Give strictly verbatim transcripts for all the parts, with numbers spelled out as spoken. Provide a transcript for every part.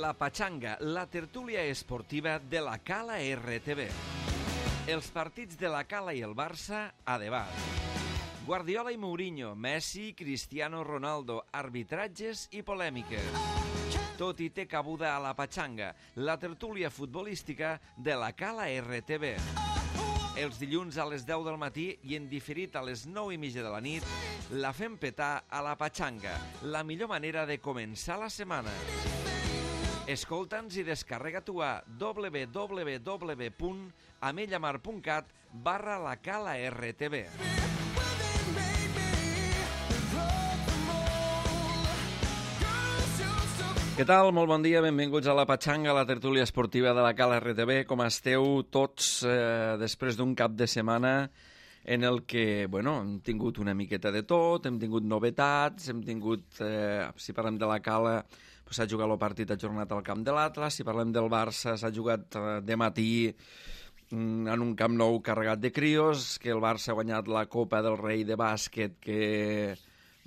La Pachanga, la tertúlia esportiva de la Cala R T V. Els partits de la Cala i el Barça a debat. Guardiola i Mourinho, Messi, Cristiano Ronaldo, arbitratges i polèmiques. Tot hi té cabuda a La Pachanga, la tertúlia futbolística de la Cala R T V. Els dilluns a les deu del matí i en diferit a les nou i mitja de la nit, la fem petar a La Pachanga, la millor manera de començar la setmana. Escolta'ns i descarrega-t'ho a w w w punt amellamar punt cat barra la Cala R T V. Què tal? Molt bon dia, benvinguts a La Pachanga, la tertúlia esportiva de la Cala R T V. Com esteu tots eh, després d'un cap de setmana en el que, bueno, hem tingut una miqueta de tot, hem tingut novetats, hem tingut, eh, si parlem de la Cala, s'ha pues, jugat el partit ajornat al camp de l'Atlas, si parlem del Barça, s'ha jugat eh, de matí en un camp nou carregat de crios, que el Barça ha guanyat la Copa del Rei de bàsquet, que,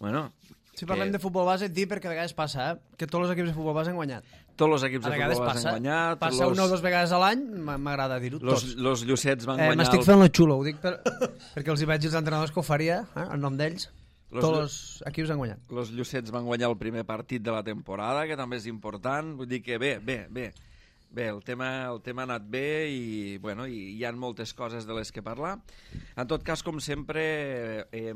bueno... Si parlem que... de futbol base, et dic perquè a vegades passa, eh? que tots els equips de futbol base han guanyat. Tots els equips de futbol base han guanyat. Passa los... una o dues vegades a l'any, m'agrada dir-ho, tots. Los, los Llucets van eh, guanyar... M'estic el... fent lo xulo, ho dic per... perquè els hi veig els entrenadors que ho faria, eh? en nom d'ells. Los... Tots els equips han guanyat. Los Llucets van guanyar el primer partit de la temporada, que també és important. Vull dir que bé, bé, bé. Bé, el tema, el tema ha anat bé i, bueno, i hi ha moltes coses de les que parlar. En tot cas, com sempre, eh,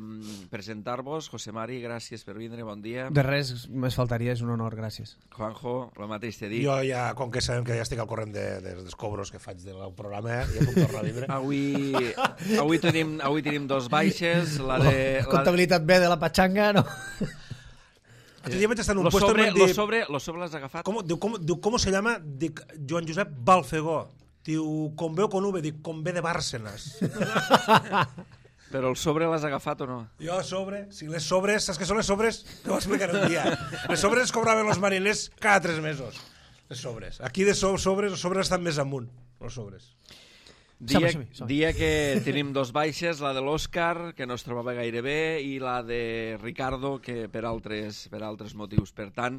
presentar-vos. José Mari, gràcies per vindre, bon dia. De res, més faltaria, és un honor, gràcies. Juanjo, el mateix t'he dit. Jo ja, com que sabem que ja estic al corrent de, de, dels cobros que faig del programa, ja puc tornar a vindre. Avui, avui, tenim, avui tenim dos baixes. La de, la... Comptabilitat B de la Pachanga, no? L'altre dia vaig estar en un lo puesto... Sobre, dir, lo sobre, lo sobre l'has agafat? Com, diu, com, diu, com se llama? Dic, Joan Josep Balfegó. Diu, com veu con V, dic, com ve de Bárcenas. Però el sobre l'has agafat o no? Jo, sobre, si les sobres, saps què són les sobres? Te ho explicaré un dia. Les sobres cobraven els mariners cada tres mesos. Les sobres. Aquí de so, sobres, els sobres estan més amunt, els sobres. Dia, dia que tenim dos baixes, la de l'Òscar, que no es trobava gaire bé, i la de Ricardo, que per altres, per altres motius. Per tant,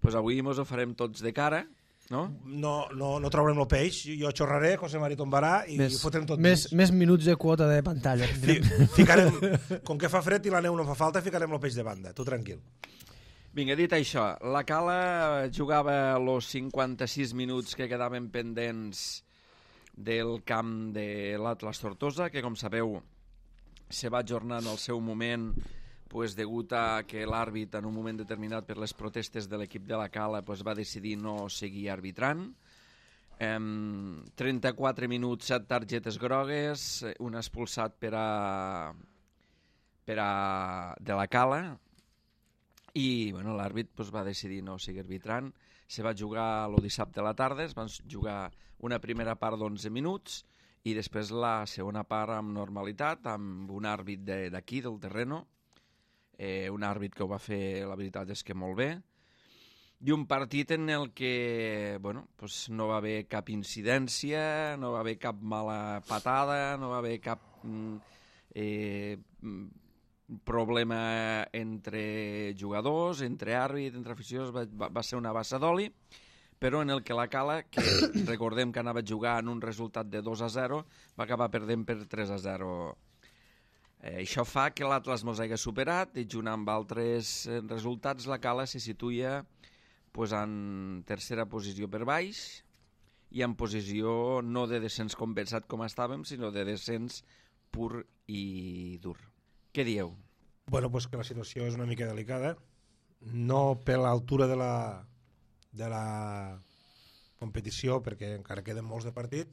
doncs avui ens ho farem tots de cara, no? No, no, no traurem el peix, jo xorraré, José Mari tombarà i més, ho fotrem tot més, dins. Més minuts de quota de pantalla. Fi, ficarem, com que fa fred i la neu no fa falta, ficarem el peix de banda, tu tranquil. Vinga, dit això, la Cala jugava els cinquanta-sis minuts que quedaven pendents del camp de l'Atlas Tortosa, que com sabeu se va ajornar en el seu moment pues, degut a que l'àrbit en un moment determinat per les protestes de l'equip de la Cala pues, va decidir no seguir arbitrant. Um, trenta-quatre minuts, set targetes grogues, un expulsat per a, per a de la Cala i bueno, l'àrbit pues, va decidir no seguir arbitrant. Se va jugar el dissabte a la tarda, es van jugar una primera part d'onze minuts i després la segona part amb normalitat, amb un àrbit d'aquí, de, del terreno, eh, un àrbit que ho va fer, la veritat és que molt bé, i un partit en el que bueno, pues no va haver cap incidència, no va haver cap mala patada, no va haver cap eh, problema entre jugadors, entre àrbit, entre aficions, va, va, va ser una bassa d'oli, però en el que la Cala, que recordem que anava a jugar en un resultat de dos a zero, va acabar perdent per tres a zero. Eh, això fa que l'Atlas mos hagi superat i junt amb altres resultats la Cala se situa pues, en tercera posició per baix i en posició no de descens compensat com estàvem, sinó de descens pur i dur. Què dieu? Bueno, pues que la situació és una mica delicada, no per l'altura de la, de la competició, perquè encara queden molts de partit,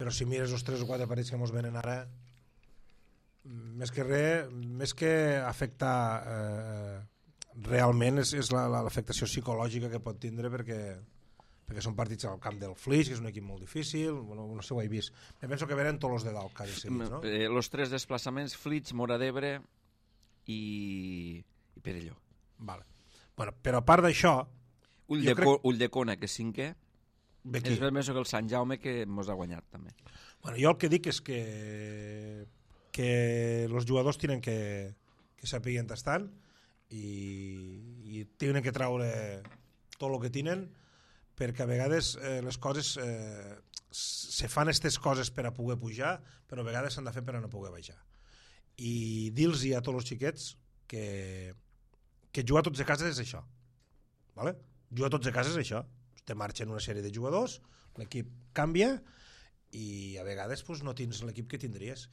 però si mires els tres o quatre partits que ens venen ara, més que res, més que afectar eh, realment és, és la, la, l'afectació psicològica que pot tindre perquè perquè són partits al camp del Flix, que és un equip molt difícil, bueno, no sé, ho he vist. Me penso que venen tots els de dalt, quasi seguits, no? Eh, los tres desplaçaments, Flix, Móra d'Ebre i, i Perelló. Vale. Bueno, però a part d'això... Ull de, crec... Ull de Cona, que és cinquè, Bequí. és més que el Sant Jaume, que mos ha guanyat, també. Bueno, jo el que dic és que que els jugadors tenen que, que sapiguen tastant i, i tenen que traure tot el que tenen perquè a vegades eh, les coses eh, se fan aquestes coses per a poder pujar, però a vegades s'han de fer per a no poder baixar. I dir-los a tots els xiquets que, que jugar a tots a casa és això, vale? Jugar a tots a casa és això, te marxen una sèrie de jugadors, l'equip canvia i a vegades pues, no tens l'equip que tindries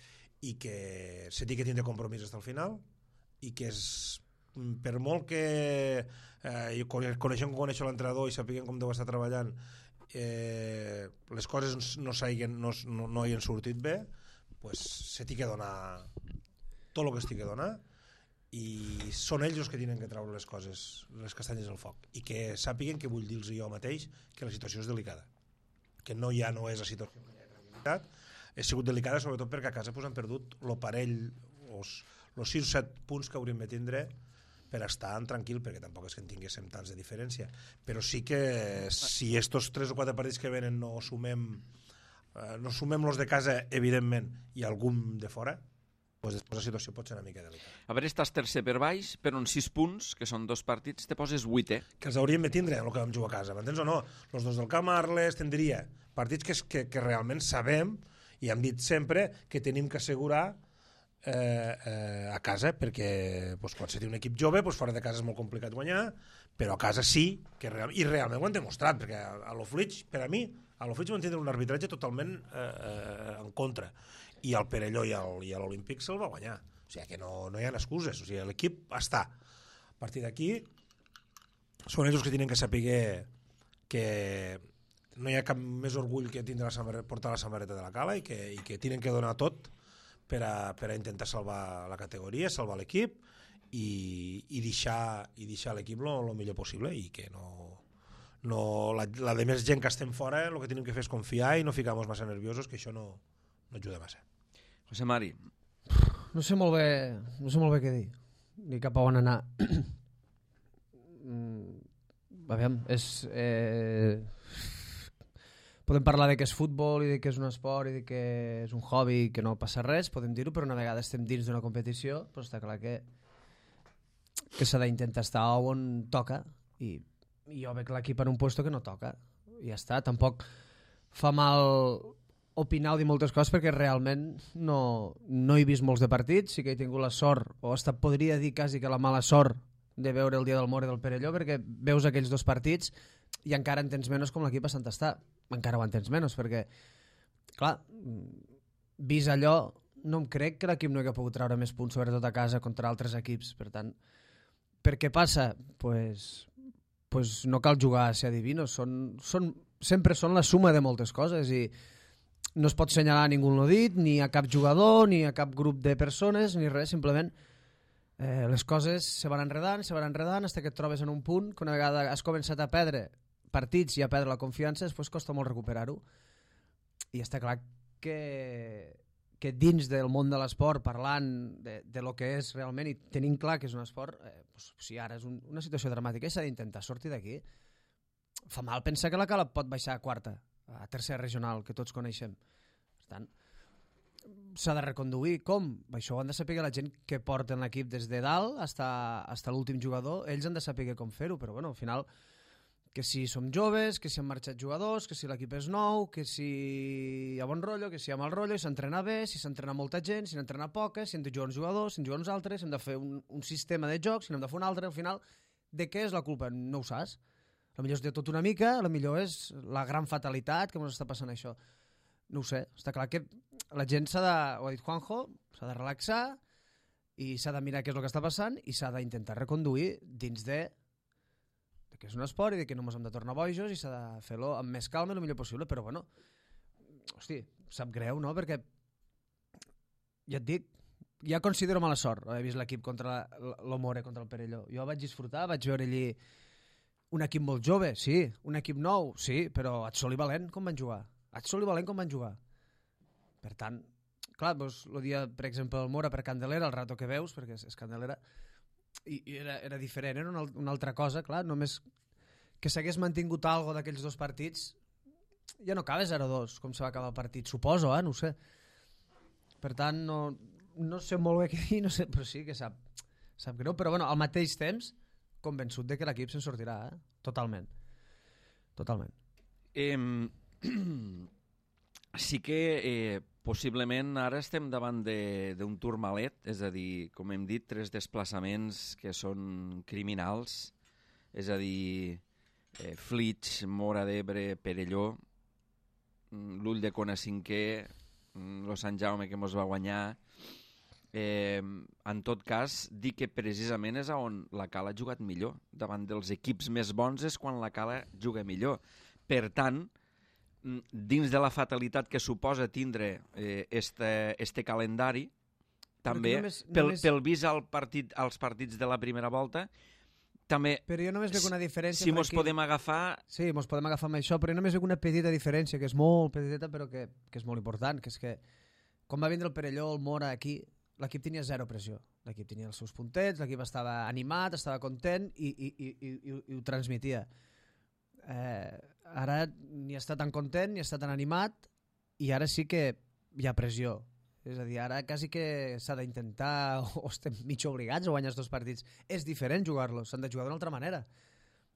i que se té que tindre compromís fins al final i que és, per molt que eh, coneixem com coneix l'entrenador i sapiguem com deu estar treballant, eh, les coses no, no, no, no hi han sortit bé, pues, se té que donar tot el que es té que donar i són ells els que tenen que treure les coses, les castanyes al foc, i que sàpiguen que vull dir-los jo mateix que la situació és delicada, que no ja no és la situació que hi ha tranquil·litat, ha sigut delicada sobretot perquè a casa pues, han perdut el parell, els sis o set punts que hauríem de tindre per estar tranquil, perquè tampoc és que en tinguéssim tants de diferència, però sí que si estos tres o quatre partits que venen no sumem eh, no sumem los de casa evidentment i algun de fora, pues després la situació pot ser una mica delicada. A veure, estàs tercer per baix, per uns sis punts, que són dos partits, te poses vuitè. Que els hauríem de tindre, el que vam jugar a casa, m'entens o no? Els dos del Camp Arles tindria partits que, que, que realment sabem, i hem dit sempre, que tenim que assegurar eh, eh, a casa, perquè pues, quan se té un equip jove, pues, fora de casa és molt complicat guanyar, però a casa sí, que real, i realment ho han demostrat, perquè a, a l'Oflix, per a mi, a l'Oflix van tindre un arbitratge totalment eh, eh, en contra, i el Perelló i l'Olímpic se'l va guanyar, o sigui que no, no hi ha excuses, o sigui, l'equip està. A partir d'aquí són ells que tenen que saber que no hi ha cap més orgull que tindre la portar la samarreta de la Cala i que, i que tenen que donar tot per a, per a intentar salvar la categoria, salvar l'equip i, i deixar, i deixar l'equip el millor possible i que no, no la, la de més gent que estem fora el que tenim que fer és confiar i no ficar-nos massa nerviosos, que això no, no ajuda massa. José Mari. No sé molt bé, no sé molt bé què dir, ni cap a on anar. Aviam, és... Eh... Podem parlar de que és futbol i de que és un esport i de que és un hobby i que no passa res, podem dir-ho, però una vegada estem dins d'una competició, però està clar que, que s'ha d'intentar estar on toca i, i jo veig l'equip en un puesto que no toca. I ja està, tampoc fa mal opinar o dir moltes coses perquè realment no, no he vist molts de partits, sí que he tingut la sort, o hasta podria dir quasi que la mala sort de veure el dia del Mor i del Perelló, perquè veus aquells dos partits i encara en tens menys com l'equip a Sant Està. Encara ho en tens menys, perquè, clar, vist allò, no em crec que l'equip no hagi pogut treure més punts, sobretot a casa, contra altres equips. Per tant, per què passa? Pues, pues no cal jugar a ser adivinos. Són, són, sempre són la suma de moltes coses i no es pot assenyalar a ningú no dit, ni a cap jugador, ni a cap grup de persones, ni res, simplement eh, les coses se van enredant, se van enredant, fins que et trobes en un punt que una vegada has començat a perdre partits i a perdre la confiança, després costa molt recuperar-ho. I està clar que, que dins del món de l'esport, parlant de, de lo que és realment i tenint clar que és un esport, eh, doncs, si ara és un, una situació dramàtica i s'ha d'intentar sortir d'aquí, fa mal pensar que la Cala pot baixar a quarta, a tercera regional, que tots coneixem. Per tant, s'ha de reconduir. Com? Això ho han de saber la gent que porten l'equip des de dalt fins a l'últim jugador. Ells han de saber com fer-ho, però bueno, al final, que si som joves, que si han marxat jugadors, que si l'equip és nou, que si hi ha bon rotllo, que si hi ha mal rotllo, i s'entrena bé, si s'entrena molta gent, si n'entrena poca, si hem de jugar uns jugadors, si en juguen uns altres, si hem de fer un, un sistema de joc, si n'hem de fer un altre. Al final, de què és la culpa? No ho saps. A millor és de tot una mica, a millor és la gran fatalitat que ens està passant això. No ho sé, està clar que la gent s'ha de, ho ha dit Juanjo, s'ha de relaxar i s'ha de mirar què és el que està passant i s'ha d'intentar reconduir dins de, de que és un esport i de que no ens hem de tornar bojos i s'ha de fer-lo amb més calma i el millor possible, però bueno, hosti, sap greu, no? Perquè ja et dic, ja considero mala sort haver vist l'equip contra l'Omore, contra el Perelló. Jo vaig disfrutar, vaig veure allí un equip molt jove, sí, un equip nou, sí, però Atzol i Valent com van jugar? Atzol i Valent com van jugar? Per tant, clar, doncs, el dia, per exemple, el Mora per Candelera, el rato que veus, perquè és, és Candelera, i, i era, era diferent, era una, una altra cosa, clar, només que s'hagués mantingut algo d'aquells dos partits, ja no acaba zero dos, com se va acabar el partit, suposo, eh? No ho sé. Per tant, no, no sé molt bé què dir, no sé, però sí que sap, sap greu, però bueno, al mateix temps, convençut de que l'equip se'n sortirà, eh? Totalment. totalment. Eh, sí que eh, possiblement ara estem davant d'un turmalet, és a dir, com hem dit, tres desplaçaments que són criminals, és a dir, eh, Flix, Móra d'Ebre, Perelló, l'Ull de Cona cinquè, lo Sant Jaume que mos va guanyar. Eh, en tot cas, dir que precisament és on la Cala ha jugat millor. Davant dels equips més bons és quan la Cala juga millor. Per tant, dins de la fatalitat que suposa tindre eh, este, este calendari, també, només, pel, només... pel vist al partit, als partits de la primera volta, també... Però jo només veig una diferència... Si mos podem agafar... Sí, mos podem agafar amb això, però jo només veig una petita diferència, que és molt petiteta, però que, que és molt important, que és que quan va vindre el Perelló, el Mora, aquí, l'equip tenia zero pressió. L'equip tenia els seus puntets, l'equip estava animat, estava content i, i, i, i, i, i ho transmetia. Eh, ara ni està tan content, ni està tan animat, i ara sí que hi ha pressió. És a dir, ara quasi que s'ha d'intentar, o estem mig obligats a guanyar els dos partits. És diferent jugar-los, s'han de jugar d'una altra manera.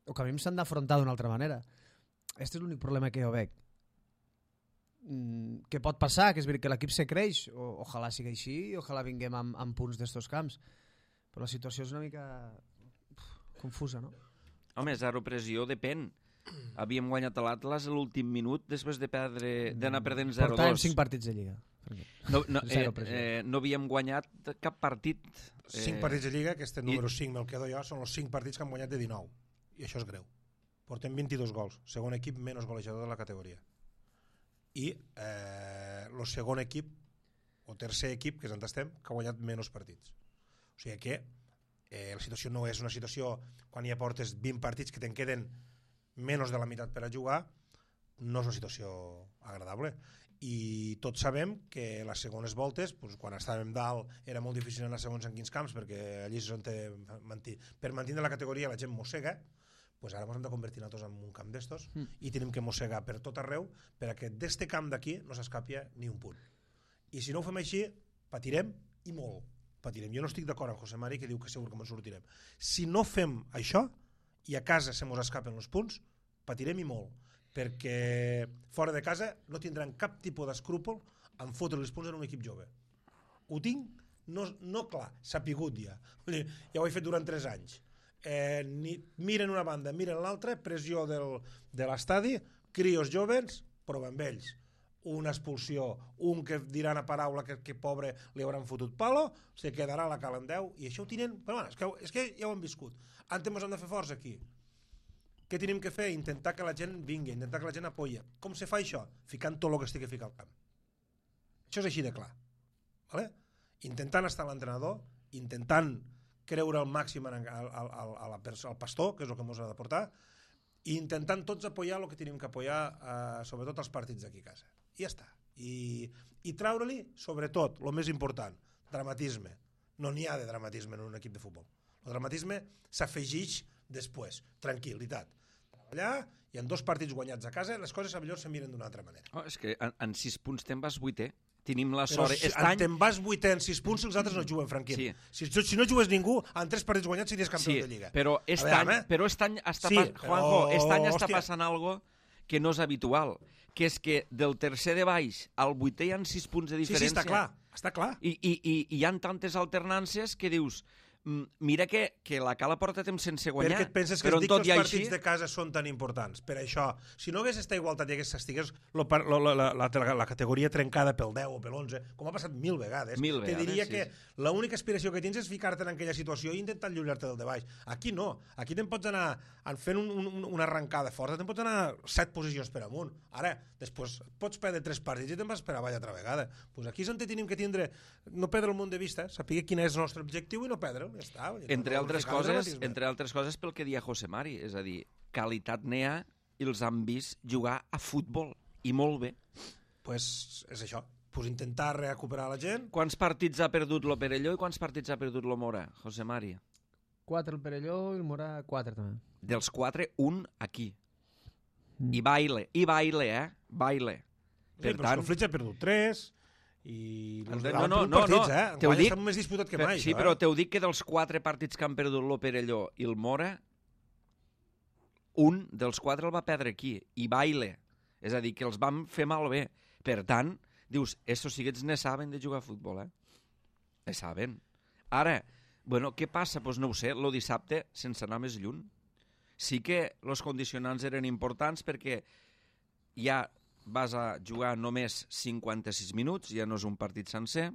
O que a mi s'han d'afrontar d'una altra manera. Aquest és l'únic problema que jo veig. Mm, que pot passar, que és veritat que l'equip se creix, o, ojalà sigui així, i ojalà vinguem amb, amb punts d'estos camps. Però la situació és una mica uf, confusa, no? Home, zero pressió depèn. Havíem guanyat a l'Atlas a l'últim minut després de perdre d'anar perdent zero dos. Portàvem cinc partits de Lliga. No, no, eh, eh, no havíem guanyat cap partit. Eh, cinc partits de Lliga, que este número i... cinc me'l quedo jo, són els cinc partits que han guanyat de dinou. I això és greu. Portem vint-i-dos gols. Segon equip menys golejador de la categoria. I eh, el segon equip, o tercer equip, que és on estem, que ha guanyat menys partits. O sigui que eh, la situació no és una situació, quan ja portes vint partits que te'n queden menys de la meitat per a jugar, no és una situació agradable. I tots sabem que les segones voltes, doncs, quan estàvem dalt era molt difícil anar segons en quins camps, perquè allí és on té, manti, per mantenir la categoria la gent mossega, doncs ara ens hem de convertir nosaltres en un camp d'estos mm. i tenim que mossegar per tot arreu perquè d'este camp d'aquí no s'escapia ni un punt. I si no ho fem així, patirem i molt. Patirem. Jo no estic d'acord amb José Mari que diu que segur que ens sortirem. Si no fem això i a casa se mos escapen els punts, patirem i molt. Perquè fora de casa no tindran cap tipus d'escrúpol en fotre els punts en un equip jove. Ho tinc, no, no clar, sapigut ja. Ja ho he fet durant tres anys. Eh, ni, miren una banda, miren l'altra, pressió del, de l'estadi, crios joves, prova amb ells. Una expulsió, un que dirà una paraula que, que pobre li hauran fotut palo, se quedarà a la cala en deu, i això ho tenen... Però bueno, és, que, és que ja ho hem viscut. Antes ens hem de fer forts aquí. Què tenim que fer? Intentar que la gent vingui, intentar que la gent apoya. Com se fa això? Ficant tot el que estigui ficat al camp. Això és així de clar. Vale? Intentant estar l'entrenador, intentant creure al màxim al, al, al, al, al pastor, que és el que ens ha de portar, i intentant tots apoyar el que tenim que apoyar, eh, sobretot els partits d'aquí a casa. I ja està. I, i treure-li, sobretot, el més important, dramatisme. No n'hi ha de dramatisme en un equip de futbol. El dramatisme s'afegeix després. Tranquil·litat. Allà, i en dos partits guanyats a casa, les coses millor se miren d'una altra manera. Oh, és que en, en sis punts te'n vas vuitè. Tenim la sort... Però si any... te'n vas vuitè en sis punts, els altres no juguen, Franquín. Sí. Si, si no jugues ningú, en tres partits guanyats series campió sí, de Lliga. Però aquest veure, any, però aquest any està, sí, pas... Juanjo, aquest any està passant algo que no és habitual, que és que del tercer de baix al vuitè hi ha sis punts de diferència. Sí, sí, està clar. Està clar. I, i, i, i hi ha tantes alternàncies que dius... Mira que, que la Cala porta temps sense guanyar, perquè et penses que però es dic tot que els partits així... de casa són tan importants. Per això, si no hagués esta igualtat i hagués estigués lo, lo, la, la, la, la categoria trencada pel deu o pel onze, com ha passat mil vegades, mil te vegades, diria sí. que l'única aspiració que tens és ficar-te en aquella situació i intentar allunyar-te del de baix. Aquí no. Aquí te'n pots anar fent un, un, una arrencada forta, te'n pots anar set posicions per amunt. Ara, després pots perdre tres partits i te'n vas per avall altra vegada. Pues aquí és on tenim que tindre, no perdre el món de vista, saber quin és el nostre objectiu i no perdre'l. Ja està. Entre altres coses, entre altres coses pel que dia José Mari, és a dir, qualitat n'hi ha i els han vist jugar a futbol, i molt bé. Pues és això, pues intentar recuperar la gent. Quants partits ha perdut lo Perelló i quants partits ha perdut lo Mora, José Mari? Quatre el Perelló i el Mora quatre també. Dels quatre, un aquí. Mm. I baile, i baile, eh? Baile. Per sí, tant... el Flix ha perdut tres... i no, no, no, no, partits, no. Eh? Enguany dic, està més disputat que mai. Sí, això, però eh? t'ho dic que dels quatre partits que han perdut lo Perelló i el Mora, un dels quatre el va perdre aquí, i baile. És a dir, que els vam fer malbé. Per tant, dius, estos siguets ne saben de jugar a futbol, eh? Ne saben. Ara, bueno, què passa? Doncs pues no ho sé, lo dissabte, sense anar més lluny. Sí que els condicionants eren importants perquè ja vas a jugar només cinquanta-sis minuts, ja no és un partit sencer.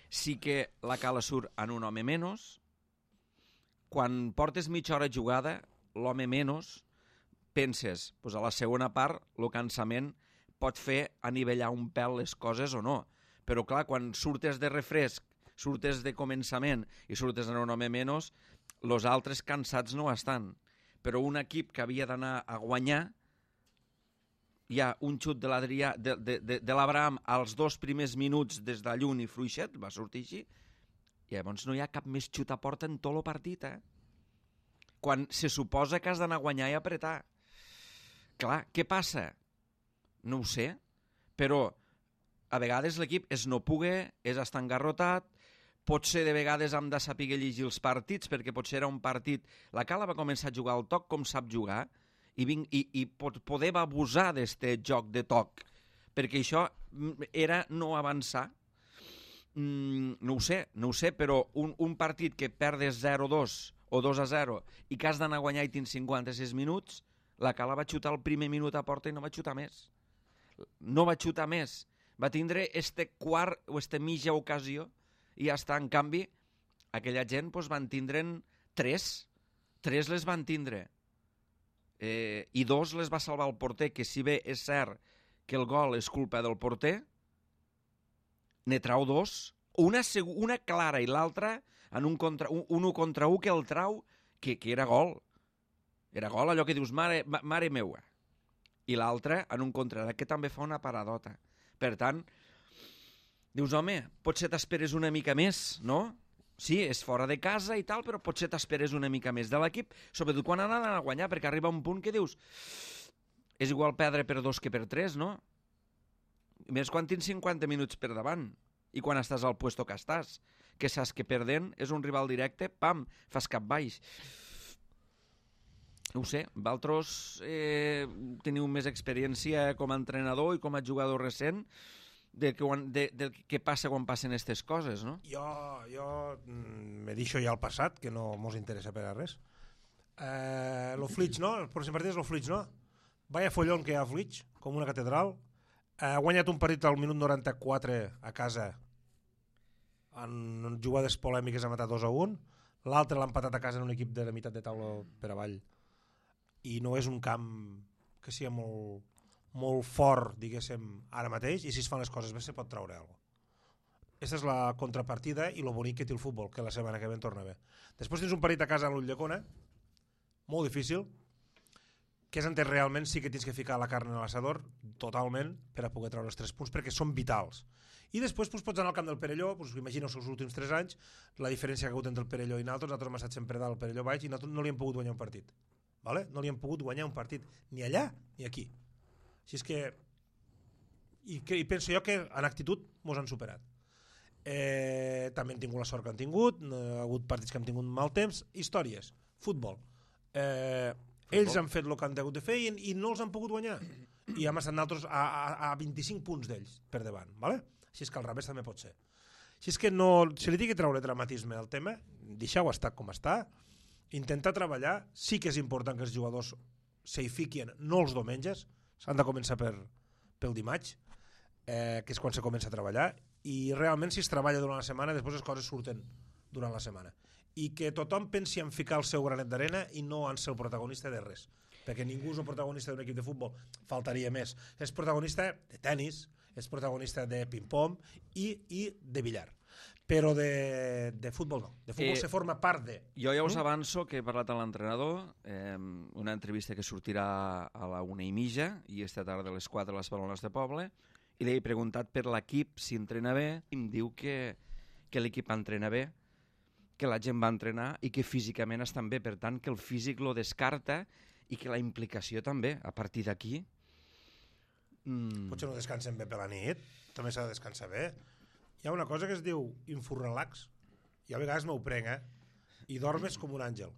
Sí que la cala surt en un home menys. Quan portes mitja hora jugada, l'home menys, penses, doncs a la segona part, el cansament pot fer anivellar un pèl les coses o no. Però clar, quan surtes de refresc, surtes de començament i surtes en un home menys, els altres cansats no estan. Però un equip que havia d'anar a guanyar, hi ha un xut de l'Adrià, de, de, de, de l'Abraham als dos primers minuts des de lluny i fluixet, va sortir així, i llavors no hi ha cap més xut a porta en tot el partit, eh? Quan se suposa que has d'anar a guanyar i apretar. Clar, què passa? No ho sé, però a vegades l'equip és no poder, és estar engarrotat, potser de vegades hem de saber llegir els partits, perquè potser era un partit... La Cala va començar a jugar al toc com sap jugar, i, vinc, i, i pot, poder va abusar d'este joc de toc, perquè això era no avançar. Mm, no ho sé, no ho sé, però un, un partit que perdes zero dos o dos a zero i que has d'anar a guanyar i tens cinquanta-sis minuts, la Cala va xutar el primer minut a porta i no va xutar més. No va xutar més. Va tindre este quart o este mitja ocasió i ja està. En canvi, aquella gent doncs, van tindre'n tres. Tres les van tindre. Eh, I dos les va salvar el porter, que si bé és cert que el gol és culpa del porter, ne trau dos, una, una clara i l'altra en un, contra, un, un un contra un que el trau, que, que era gol. Era gol, allò que dius, mare, mare meua. I l'altra en un contra, que també fa una paradota. Per tant, dius, home, potser t'esperes una mica més, no? Sí, és fora de casa i tal, però potser t'esperes una mica més de l'equip, sobretot quan han d'anar a guanyar, perquè arriba un punt que dius, és igual perdre per dos que per tres, no? Més quan tens cinquanta minuts per davant i quan estàs al puesto que estàs, que saps que perdent és un rival directe, pam, fas cap baix. No ho sé, vosaltres eh, teniu més experiència com a entrenador i com a jugador recent de, de, de què passa quan passen aquestes coses, no? Jo, jo me deixo ja al passat, que no mos interessa per a res. Eh, lo Flitx, no? El pròxim partit és lo Flitx, no? Vaya follón que hi ha a Flitx, com una catedral. Ha guanyat un partit al minut noranta-quatre a casa en jugades polèmiques, ha matat dos a un. L'altre l'ha empatat a casa en un equip de la meitat de taula per avall. I no és un camp que sigui molt, molt fort, diguéssim, ara mateix, i si es fan les coses bé se pot traure alguna cosa. Aquesta és la contrapartida i lo bonic que té el futbol, que la setmana que ve en torna bé. Després tens un partit a casa a l'Ulldecona, molt difícil, que és on realment sí que tens que ficar la carn en l'assador totalment per a poder treure els tres punts, perquè són vitals. I després doncs, pots anar al camp del Perelló, doncs, imagina els seus últims tres anys, la diferència que ha hagut entre el Perelló i nosaltres, nosaltres hem estat sempre dalt, el Perelló baix, i nosaltres no li hem pogut guanyar un partit. Vale? No li hem pogut guanyar un partit, ni allà ni aquí. Així és que, i, que, i penso jo que en actitud mos han superat. Eh, també hem tingut la sort que han tingut, ha hagut partits que hem tingut mal temps, històries, futbol. Eh, ells han fet el que han hagut de fer i, i no els han pogut guanyar. I hem estat nosaltres a, a, a vint-i-cinc punts d'ells per davant. Vale? Així és que al revés també pot ser. Així és que no, si li tingui que treure dramatisme al tema, deixeu estar com està, intentar treballar, sí que és important que els jugadors s'hi fiquin, no els diumenges, s'han de començar per, pel dimarts, eh, que és quan se comença a treballar, i realment si es treballa durant la setmana, després les coses surten durant la setmana. I que tothom pensi en ficar el seu granet d'arena i no en ser el protagonista de res, perquè ningú és el protagonista d'un equip de futbol, faltaria més. És protagonista de tennis, és protagonista de ping-pong i, i de billar. Però de, de futbol no. De futbol eh, se forma part de... Jo ja us avanço que he parlat amb l'entrenador, eh, una entrevista que sortirà a la una i mitja, i esta tarda a les quatre a les Balones de Poble, i li he preguntat per l'equip si entrena bé, i em diu que, que l'equip entrena bé, que la gent va entrenar i que físicament estan bé, per tant que el físic lo descarta i que la implicació també, a partir d'aquí... Mm... Potser no descansen bé per la nit, també s'ha de descansar bé. Hi ha una cosa que es diu infurrelax, i a vegades m'ho prenc, eh? I dormes com un àngel.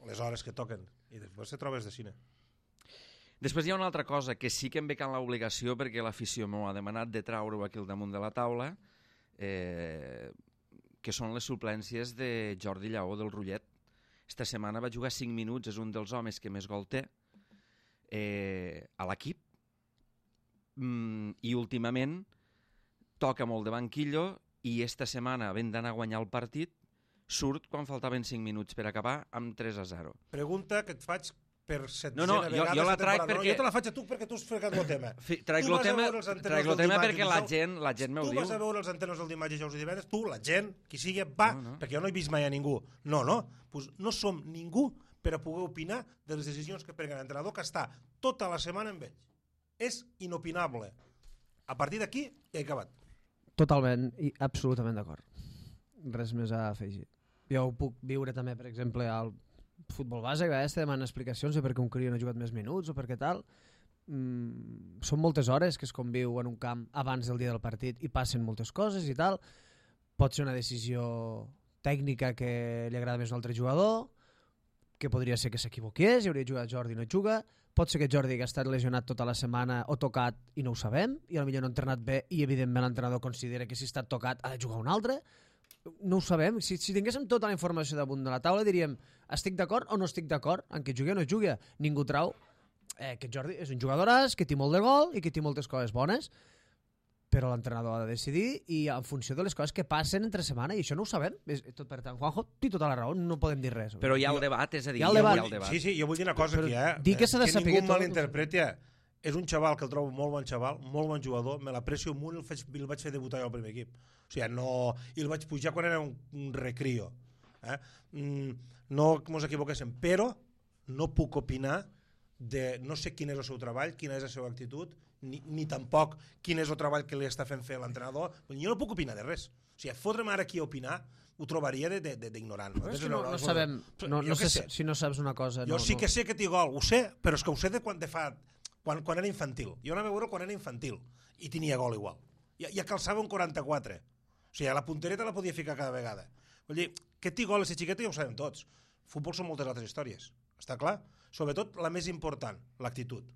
les hores que toquen, i després te trobes de cine. Després hi ha una altra cosa que sí que em ve can l'obligació, perquè l'afició m'ho ha demanat de traure-ho aquí al damunt de la taula, eh, que són les suplències de Jordi Lleó del Rullet. Esta setmana va jugar cinc minuts, és un dels homes que més gol té eh, a l'equip, mm, i últimament toca molt de banquillo, i esta setmana, havent d'anar a guanyar el partit, surt quan faltaven cinc minuts per acabar amb tres a zero. Pregunta que et faig per setzena no, no, jo, vegada. Jo la trac perquè... No, jo te la faig a tu perquè tu has fregat el tema. Trac el tema, trac el tema perquè la gent, la gent m'ho diu. Tu vas a veure els antenes del dimarts, dijous i divendres, tu, la gent, qui sigui, va, no, no. perquè jo no he vist mai a ningú. No, no, pues no som ningú per a poder opinar de les decisions que prenga l'entrenador, que està tota la setmana amb ells. És inopinable. A partir d'aquí, ja he acabat. Totalment i absolutament d'acord. Res més a afegir. Jo ho puc viure també, per exemple, al futbol base, que a vegades te demanen explicacions de per què un crió no ha jugat més minuts o per què tal. Mm, són moltes hores que es conviu en un camp abans del dia del partit i passen moltes coses i tal. Pot ser una decisió tècnica que li agrada més a un altre jugador, que podria ser que s'equivoqués i hauria jugat Jordi i no juga. Pot ser que Jordi que ha estat lesionat tota la setmana o tocat i no ho sabem, i potser no ha entrenat bé i evidentment l'entrenador considera que si ha estat tocat ha de jugar un altre. No ho sabem. Si, si tinguéssim tota la informació damunt de la taula diríem estic d'acord o no estic d'acord en que jugui o no jugui. Ningú trau eh, que Jordi és un jugadoràs, que té molt de gol i que té moltes coses bones, però l'entrenador ha de decidir i en funció de les coses que passen entre setmana, i això no ho sabem. Tot, per tant, Juanjo té tota la raó, no podem dir res. Però hi ha el debat, és a dir, hi ha el debat. Hi ha el debat. Sí, sí, jo vull dir una cosa però, aquí, eh? Dir que s'ha de que saber ningú tot... malinterpreti. És un xaval que el trobo molt bon xaval, molt bon jugador, me l'aprecio molt i el, faig, el vaig fer debutar jo al primer equip. O sigui, no... I el vaig pujar quan era un, un recrio. Eh? Mm, no que ens equivoquéssim, però no puc opinar de... No sé quin és el seu treball, quina és la seva actitud, ni, ni tampoc quin és el treball que li està fent fer l'entrenador. Jo no puc opinar de res. O sigui, fotre'm ara aquí a opinar ho trobaria d'ignorant. No, no, no sabem, no, no sé, sé si no saps una cosa. Jo no, sí no. que sé que té gol, ho sé, però és que ho sé de quan te fa... Quan, quan era infantil. Jo anava a veure quan era infantil i tenia gol igual. Ja, ja calçava un quaranta-quatre. O sigui, la puntereta la podia ficar cada vegada. Vull dir, que té gol a ser xiqueta ja ho sabem tots. Futbol són moltes altres històries. Està clar? Sobretot la més important, l'actitud.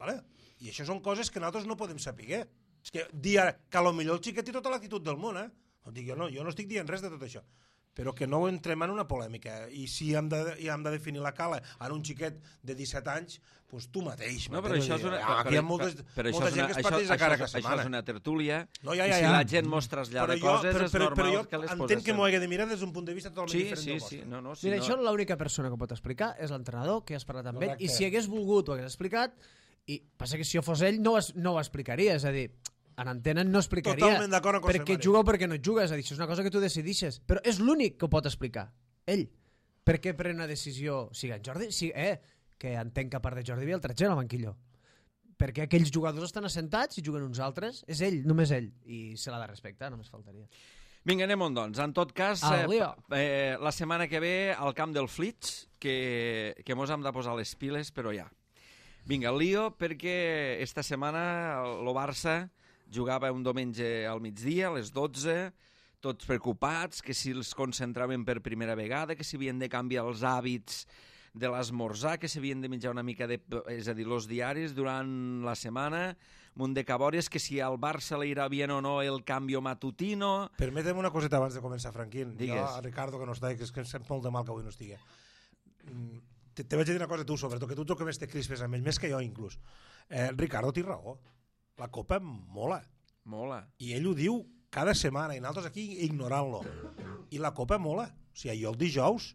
Vale? I això són coses que nosaltres no podem saber. És que dir que potser el xiquet té tota l'actitud del món, eh? No dic, jo, no, jo no estic dient res de tot això. Però que no entrem en una polèmica. I si hem de, hem de definir la cala en un xiquet de disset anys, doncs tu mateix. No, però això és una... Ah, aquí hi ha moltes, però molta gent que es parteix a cara cada setmana. Això és una tertúlia, no, ja, ja, ja. i si la gent mos trasllada jo, coses, però, és però, normal però jo que les poses... entenc que m'ho hagi de mirar des d'un punt de vista totalment sí, diferent sí, del sí, vostre. no, no, si Mira, no... això l'única persona que pot explicar és l'entrenador, que has parlat amb Correcte. ell, i si hagués volgut ho hagués explicat, i passa que si jo fos ell no ho, no ho explicaria, és a dir, en antena no explicaria Totalment d'acord amb perquè José Mari. juga o perquè no juga, és a dir, això és una cosa que tu decidixes, però és l'únic que ho pot explicar, ell. Per què pren una decisió, sigui en Jordi, sí, eh, que entenc que a part de Jordi hi ha altra gent al banquillo, perquè aquells jugadors estan assentats i juguen uns altres, és ell, només ell, i se l'ha de respectar, només faltaria. Vinga, anem-on, doncs. En tot cas, Ah, eh, eh, la setmana que ve al camp del Flits, que, que mos hem de posar les piles, però ja. Vinga, el lío, perquè esta setmana el Barça jugava un diumenge al migdia, a les dotze, tots preocupats, que si els concentraven per primera vegada, que si havien de canviar els hàbits de l'esmorzar, que s'havien de menjar una mica de... És a dir, els diaris durant la setmana, munt de cabòries, que si al Barça li irà bien o no el canvi matutino... Permetem una coseta abans de començar, Franquín. Digues. Jo, a Ricardo, que no està, que és que em sent molt de mal que avui no estigui. Te, te vaig a dir una cosa a tu, sobretot, que tu ets el que més te crispes amb ell, més que jo, inclús. Eh, Ricardo té raó. La Copa mola. Mola. I ell ho diu cada setmana, i nosaltres aquí ignorant-lo. I la Copa mola. O sigui, jo el dijous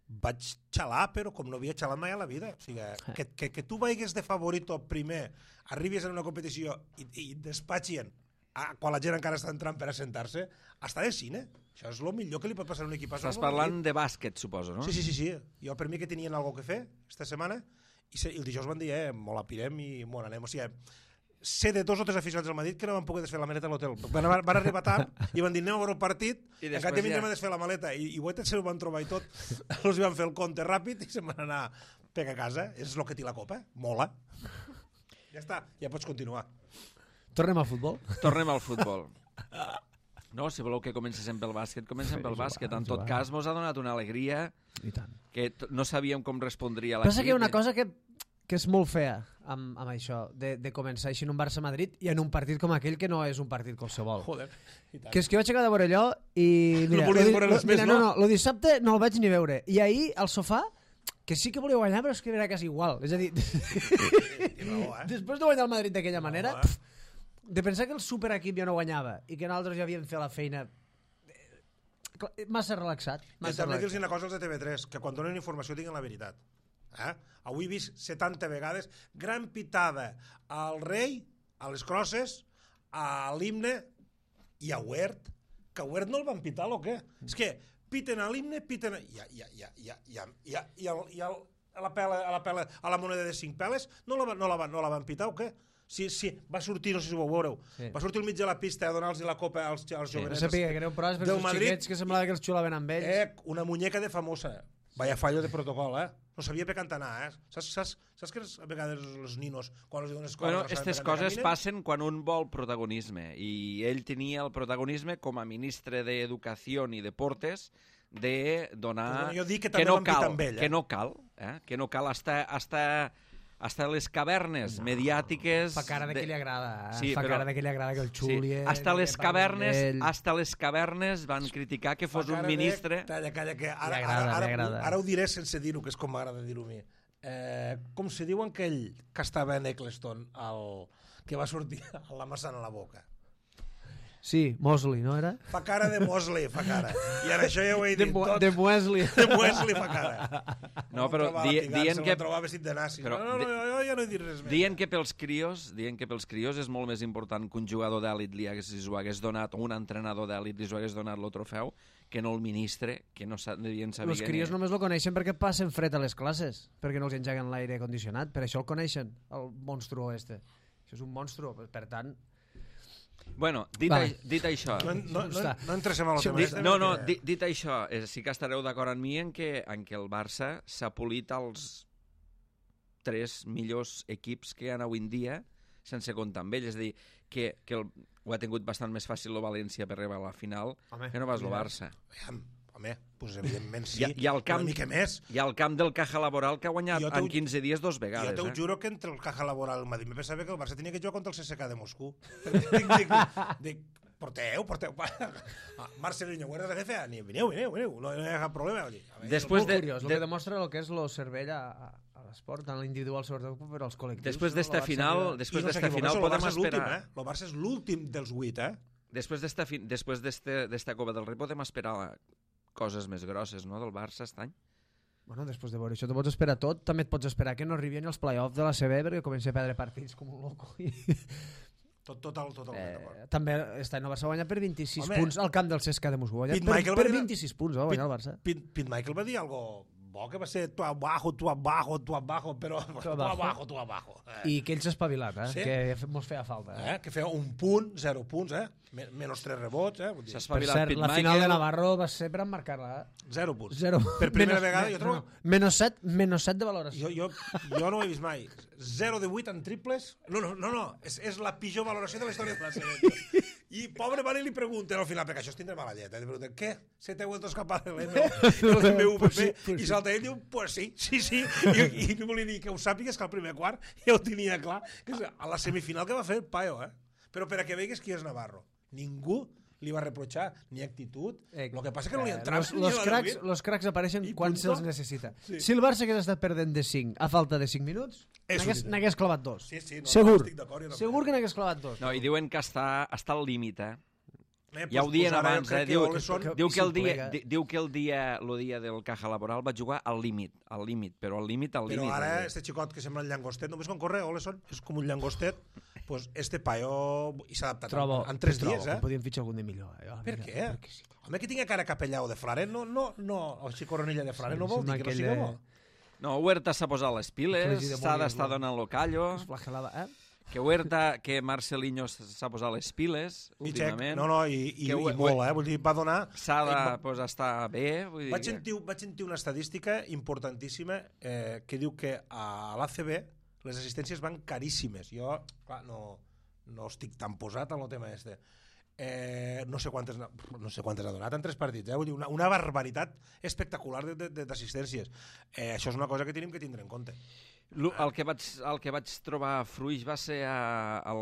vaig xalar, però com no havia xalat mai a la vida. O sigui, que, que, que tu vagis de favorito primer, arribis en una competició i, i despatxien a, quan la gent encara està entrant per assentar-se, està de cine. Això és el millor que li pot passar a un equip. Estàs parlant de bàsquet, suposo, no? Sí, sí, sí, sí. Jo, per mi que tenien alguna cosa que fer esta setmana, i, se, i el dijous van dir, eh, molt apirem i molt anem. O sigui, sé de dos o tres aficionats del Madrid que no van poder desfer la maleta a l'hotel. Van, van arribar tard i van dir anem a veure el partit i encara ja vindrem a desfer la maleta. I, i Huetes se ho van trobar i tot. Els van fer el compte ràpid i se'n van anar per a casa. És el que té la Copa. Mola. Ja està, ja pots continuar. Tornem al futbol? Tornem al futbol. No, si voleu que comencéssim pel bàsquet, comencem pel Jugar, bàsquet. En tot jugar. cas, mos ha donat una alegria I tant. que t- no sabíem com respondria l'equip. Passa que hi ha una cosa que, que és molt fea amb, amb això, de, de començar així en un Barça-Madrid i en un partit com aquell que no és un partit qualsevol. Joder, i tant. Que és que vaig acabar de veure allò i... Mira, No volies lo di- veure lo- res més, mira, no? no? No, el dissabte no el vaig ni veure. I ahir, al sofà, que sí que volia guanyar, però és que era quasi igual. És a dir, raó, eh? després de guanyar el Madrid d'aquella manera, eh? pf, de pensar que el superequip ja no guanyava i que nosaltres ja havíem fet la feina eh, clar, massa relaxat. I Massa també dir-los relaxat. una cosa als de T V tres, que quan donen informació diguin la veritat. Eh? Avui he vist setanta vegades gran pitada al rei, a les crosses, a l'himne i a Huert, que a Huert no el van pitar o què? És que piten a l'himne, piten a... I, a, i, a, i, a, i, a, i, a, i, a, i, a, i a, a, la pela, a, la pela, a la moneda de cinc peles no la, van- no la, van- no la van pitar o què? Sí, sí, va sortir, no sé si ho veureu, Sí. va sortir al mig de la pista a donar-los la copa als, als No jovenets. sabia que greu, però és per del els Madrid. xiquets que semblava que els xulaven amb ells. Eh, una muñeca de famosa. Vaya fallo de protocol, eh? No sabia per cantar anar, eh? Saps, saps, saps que a vegades els ninos, quan els diuen escola... Bueno, no saben aquestes per cantar, coses caminen? passen quan un vol protagonisme i ell tenia el protagonisme com a ministre d'Educació i Deportes de donar... Pues bueno, jo dic que que també no van pitar cal, amb ell, eh? que no cal, eh? que no cal hasta, hasta, hasta les cavernes no, mediàtiques... Fa cara de que li agrada, eh? Sí, Fa però- cara de que li agrada que el Sí, xulien... hasta les que parlen cavernes, d'ell. hasta les cavernes van criticar que fos Fa un cara de- ministre... Calla, calla, que ara, Li agrada, ara, li ara, agrada. ara ho diré sense dir-ho, que és com m'agrada dir-ho a mi. Eh, com se diu aquell que estava en Eccleston, el, que va sortir amb la maçana a la boca? Sí, Mosley, no era? Fa cara de Mosley, fa cara. I ara això ja ho he De, dit Mo tot. de Wesley. De Wesley fa cara. No, però Trobar di, la pigança, dient el que... va trobar vestit de nazi. però no, no, no, jo ja no he dit res més. Dient que pels crios, dient que pels crios és molt més important que un jugador d'èlit li hagués, li ho hagués donat, o un entrenador d'èlit li ho hagués donat el trofeu, que no el ministre, que no sa- devien saber... Els crios només el coneixen perquè passen fred a les classes, perquè no els engeguen l'aire condicionat, per això el coneixen, el monstru este. Això és un monstru, per tant... Bueno, dit, Vale. a, dit això... No, no, no, Està. no entréssim a lo Sí, tema Dit, este, no, no, perquè- dit, dit això, eh, sí que estareu d'acord amb mi en que, en que el Barça s'ha polit als tres millors equips que hi ha avui en dia sense comptar amb ell. És a dir, que, que el, ho ha tingut bastant més fàcil el València per arribar a la final Home, que no vas el mira. Barça. Aviam, home, doncs evidentment sí, I, i, al camp, una mica més. I al camp del Caja Laboral que ha guanyat Jo t'ho- en quinze dies dos vegades. Jo te ho eh? juro que entre el Caja Laboral i el Madrid me pensava que el Barça tenia que jugar contra el C S K de Moscou. dic, dic, dic, porteu, porteu. Ah, Marcelinho, Huerta de Jefe, ni vineu, vineu, vineu, no, no hi ha cap problema. Vull dir, a veure, Després Molt de, curiós, el de, que demostra el que és el cervell a, a, a l'esport, tant l'individual sobretot, però als col·lectius. després no? d'esta El Barça final, arriba- després I no d'esta s'equivoca, final el podem Barça és l'últim, esperar... eh? El Barça és l'últim dels vuit, eh? Després d'esta fi- després d'este- d'esta Copa del Rei podem esperar coses més grosses, no?, del Barça aquest any. Bueno, després de veure això, te pots esperar tot. També et pots esperar que no arribin els play-offs de la C B perquè comença a perdre partits com un loco. I... Tot, total, totalment d'acord. Eh, també aquest any el Barça va guanyar per vint-i-sis Home, punts al camp del C S K de Moscou. Va guanyar Pete per, Michael va per dir- vint-i-sis punts va guanyar el Barça. Pete, Pete Michael va dir algo bo, que va ser tu abajo, tu abajo, tu abajo, però tu abajo. abajo, tu abajo. Eh? I que ell s'ha espavilat, eh? Sí? Que mos feia falta. Eh? Eh? Que feia un punt, zero punts, eh? Men menys tres rebots, eh? Vull dir, S'ha Per espavilat cert, Pete la final Michael. de Navarro va ser per emmarcar-la. Eh? zero punts. Zero. Per primera Menos- vegada, me- jo trobo... no, no. Menos set, menos set de valoració. Jo, jo, jo no ho he vist mai. zero de vuit en triples. No, no, no, no. És, és la pitjor valoració de la història de la I pobre mare li pregunten al final, perquè això es tindrà mala llet, eh? Li pregunten, què? Se te ha vuelto a escapar el M V P? Pues sí, pues I sí. salta ell i diu, pues sí, sí, sí. I, i no volia dir que ho sàpigues, que al primer quart ja ho tenia clar, que és a la semifinal que va fer el Paio, eh? Però per a que veigues qui és Navarro. Ningú li va reprochar ni actitud. Eh, El que passa que no li eh, entrava. los, los, cracks, los cracks apareixen I quan punto. se'ls necessita. Sí. Si el Barça hagués estat perdent de cinc a falta de cinc minuts, És n'hagués un- n'hagués clavat dos. Sí, sí, no, Segur. estic d'acord, jo també. Segur que n'hagués clavat dos. No, i diuen que està, està al límit, eh? Eh, Ja ho pues- dien pues ara jo abans, crec eh? que Diu, Oleson- que- diu, que el si dia, plega. di- diu que el dia, el dia del Caja Laboral va jugar al límit, al límit, però al límit, al Però límit. ara, eh? este xicot que sembla un llangostet, només quan corre, Oleson, és com un llangostet, pues este paio i s'ha adaptat Trobo, en tres trobo dies, que eh? podien fitxar algun de millor. Eh? Ah, Per mira, què? perquè sí. Home, que tinga cara capellao de frare, no, no, no, o xicoronilla de frare, Sí, no vol sembla dir que no aquell siga de- bo. No, Huerta s'ha posat les piles, Flegi de s'ha Molière, d'estar no? donant lo callo, Es flagelava, eh? que Huerta, que Marcelinho s'ha posat les piles, I xec, últimament. no, no, i, i, Que ho- i molt, eh? Vull dir, va donar... S'ha de Eh, pues, estar bé. Vull dir Vaig que- sentir, vaig sentir una estadística importantíssima eh, que diu que a l'A C B les assistències van caríssimes. Jo, clar, no, no estic tan posat en el tema este. eh, no sé quantes no sé quantes ha donat en tres partits, eh? Vull dir, una, una barbaritat espectacular d'assistències. Eh, això és una cosa que tenim que tindre en compte. El que, vaig, el que vaig trobar fruix va ser a, el,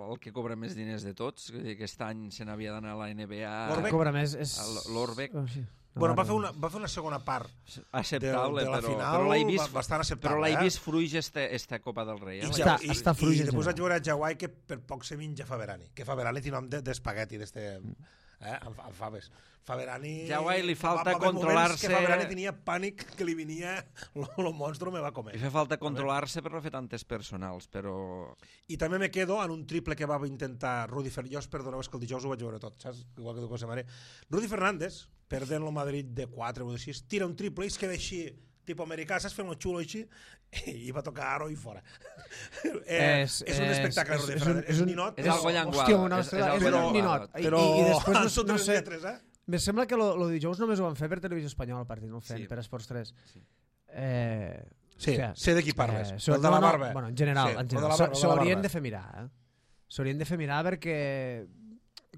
el que cobra més diners de tots. Aquest any se n'havia d'anar a la N B A. L'Orbec cobra més. És... L'Orbec. Oh, sí. No, bueno, va fer, una, va fer una segona part acceptable, de, de la però, final, però l'he vist, bastant acceptable. Però l'he eh? vist fruix esta, esta Copa del Rei. Eh? I, està, I, està fruix i, i després general. vaig veure a Jawai que per poc se menja Faberani, que Faberani té nom d'espagueti de, d'este... Eh, amb, amb faves. Faberani... Jawai li falta va, va controlar-se... que Faberani tenia pànic que li venia el monstru me va comer. Li fa falta controlar-se per no fer tantes personals, però... I també me quedo en un triple que va intentar Rudy Fernández, perdoneu, és que el dijous ho vaig veure tot, saps? Igual que tu cosa mare. Rudy Fernández, perdent el Madrid de quatre o de sis, tira un triple i es queda així, tipus americà, saps? Fent un xulo així, i va tocar aro i fora. eh, és, és un espectacle, és, Rudy Fernández. És un ninot. És algo llenguado. Hòstia, una ostres, és, és, és un ninot. Però, I, i després, no, no sé, lletres, eh? me sembla que lo, lo dijous només ho van fer per Televisió Espanyola, el partit, no ho fem, sí. Per Esports tres. Sí. Eh, sí, o sea, sé de qui parles. Eh, el de la barba. No, bueno, en general, sí, en general. S'haurien de fer mirar, eh? S'haurien de fer mirar perquè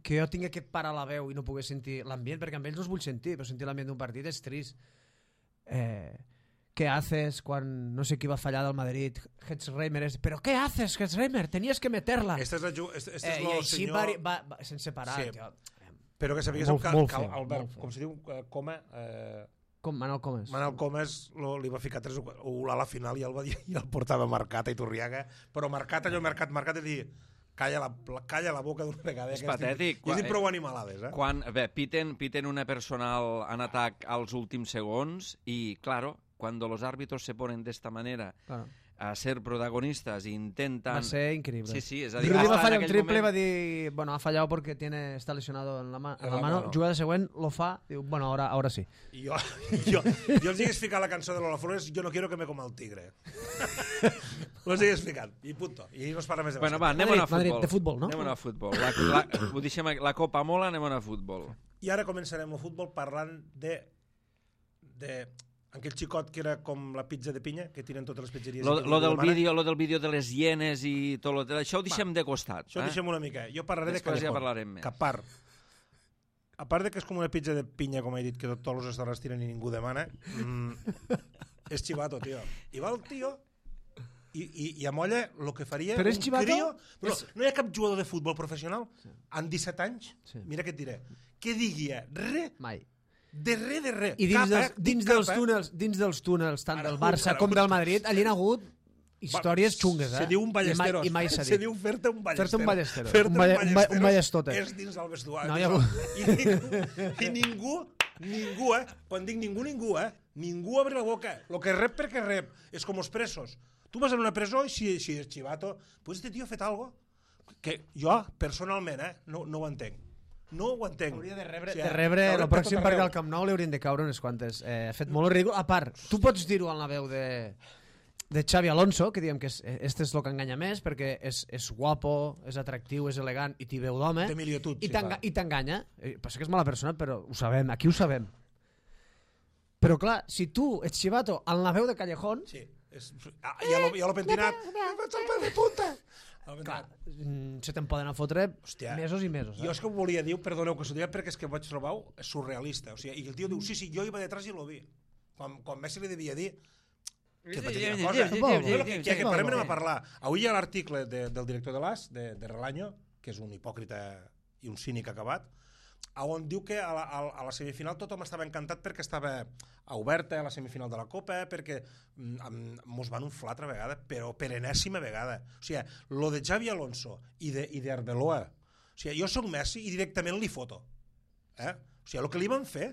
que jo tinc aquest par a la veu i no pogués sentir l'ambient, perquè amb ells no es vull sentir, però sentir l'ambient d'un partit és trist. Eh, ¿Qué haces quan no sé qui va fallar del Madrid? Hetzreimer és... ¿Pero qué haces, Hetzreimer? Tenías que meterla. Este és, el, este, este és eh, lo I així senyor... va, va, va, sense parar. Sí. Tio. Però que sabies molt, que, molt que feo, Albert, com se diu, Coma... Eh... Com Manel Comes. Manel Comes lo, li va ficar tres o quatre a la final i el, va dir, i el portava marcat a Iturriaga, però marcat allò, marcat, marcat, i dir... Calla la, calla la boca d'una vegada. És patètic. I és prou animalades, eh? Quan, bé, piten, piten una personal en atac als últims segons i, claro, cuando los árbitros se ponen de esta manera claro. a ser protagonistas e intentan... Va ser increíble. Sí, sí, és a dir... Rudy va fallar un triple moment... va dir, bueno, ha fallado porque tiene, está lesionado en la, ma en la, la mano, mano. Jugada següent, lo fa, diu, bueno, ahora, ahora sí. I jo, jo, jo els hagués ficat la cançó de Lola Flores, yo no quiero que me coma el tigre. Ho hagués ficat, i punto. I no es parla més de bueno, bàsquet. va, anem a futbol. Madrid, de futbol, no? Anem a futbol. La, la, ho deixem, la Copa mola, anem a futbol. I ara començarem el futbol parlant de... de aquell xicot que era com la pizza de pinya, que tiren totes les pizzeries... Lo, lo, del vídeo, lo del vídeo de les hienes i tot lo, això ho deixem va, de costat. Això ho eh? deixem una mica. Jo parlaré Després de Callejón. Ja parlarem més. Que a part, a part de que és com una pizza de pinya, com he dit, que tots els restaurants tiren i ningú demana, mmm, és xivato, tio. I va el tio i, i, i amolla el que faria però és un xivato? crio... Però és... no hi ha cap jugador de futbol professional sí. en disset anys, sí. Mira què et diré, que digui res... Mai. De res, de res. I dins, cap, dels, eh? dins, cap, dels eh? túnels, dins dels túnels, tant ara, del Barça com del Madrid, allà hi ha hagut històries xungues, eh? Se diu un ballesteros. I mai, i mai s'ha dit. Se diu fer-te un ballesteros. Fer-te un ballesteros. Fer-te un, ball, un, ball, un ballestota. És dins el vestuari. No, ja... I, ningú, I ningú, ningú, eh? Quan dic ningú, ningú, eh? Ningú obre la boca. Lo que rep perquè rep. És com els presos. Tu vas en una presó i si, si és xivato, pues este tio ha fet algo que jo, personalment, eh? No, no ho entenc. No ho entenc. Hauria de rebre, o sigui, de rebre el pròxim perquè al Camp Nou li haurien de caure unes quantes. Eh, ha fet molt ridícul. A part, tu pots dir-ho en la veu de, de Xavi Alonso, que diem que és, este és el que enganya més, perquè és, és guapo, és atractiu, és elegant i t'hi veu d'home. Té milietud, I sí, t'enganya. Eh, passa que és mala persona, però ho sabem, aquí ho sabem. Però clar, si tu ets xivato en la veu de Callejón... Sí, és, ah, ja l'ho pentinat. De puta! Clar, se te'n poden a fotre Hòstia, mesos i mesos. Eh? Jo és que ho volia dir, perdoneu que s'ho diria, perquè és que vaig trobar surrealista. O sigui, i el tio diu, sí, sí, jo iba detrás i lo vi. Quan, quan Messi li devia dir que patia una cosa. Que, que, que parem anem a parlar. Avui hi ha l'article de, del director de l'A S, de, de Relaño, que és un hipòcrita i un cínic acabat, on diu que a la, a la semifinal tothom estava encantat perquè estava oberta a la semifinal de la Copa, perquè mos van unflar altra vegada, però per enèsima vegada. O sigui, lo de Xavi Alonso i de, i d'Arbeloa, o sigui, jo soc Messi i directament li foto. Eh? O sigui, el que li van fer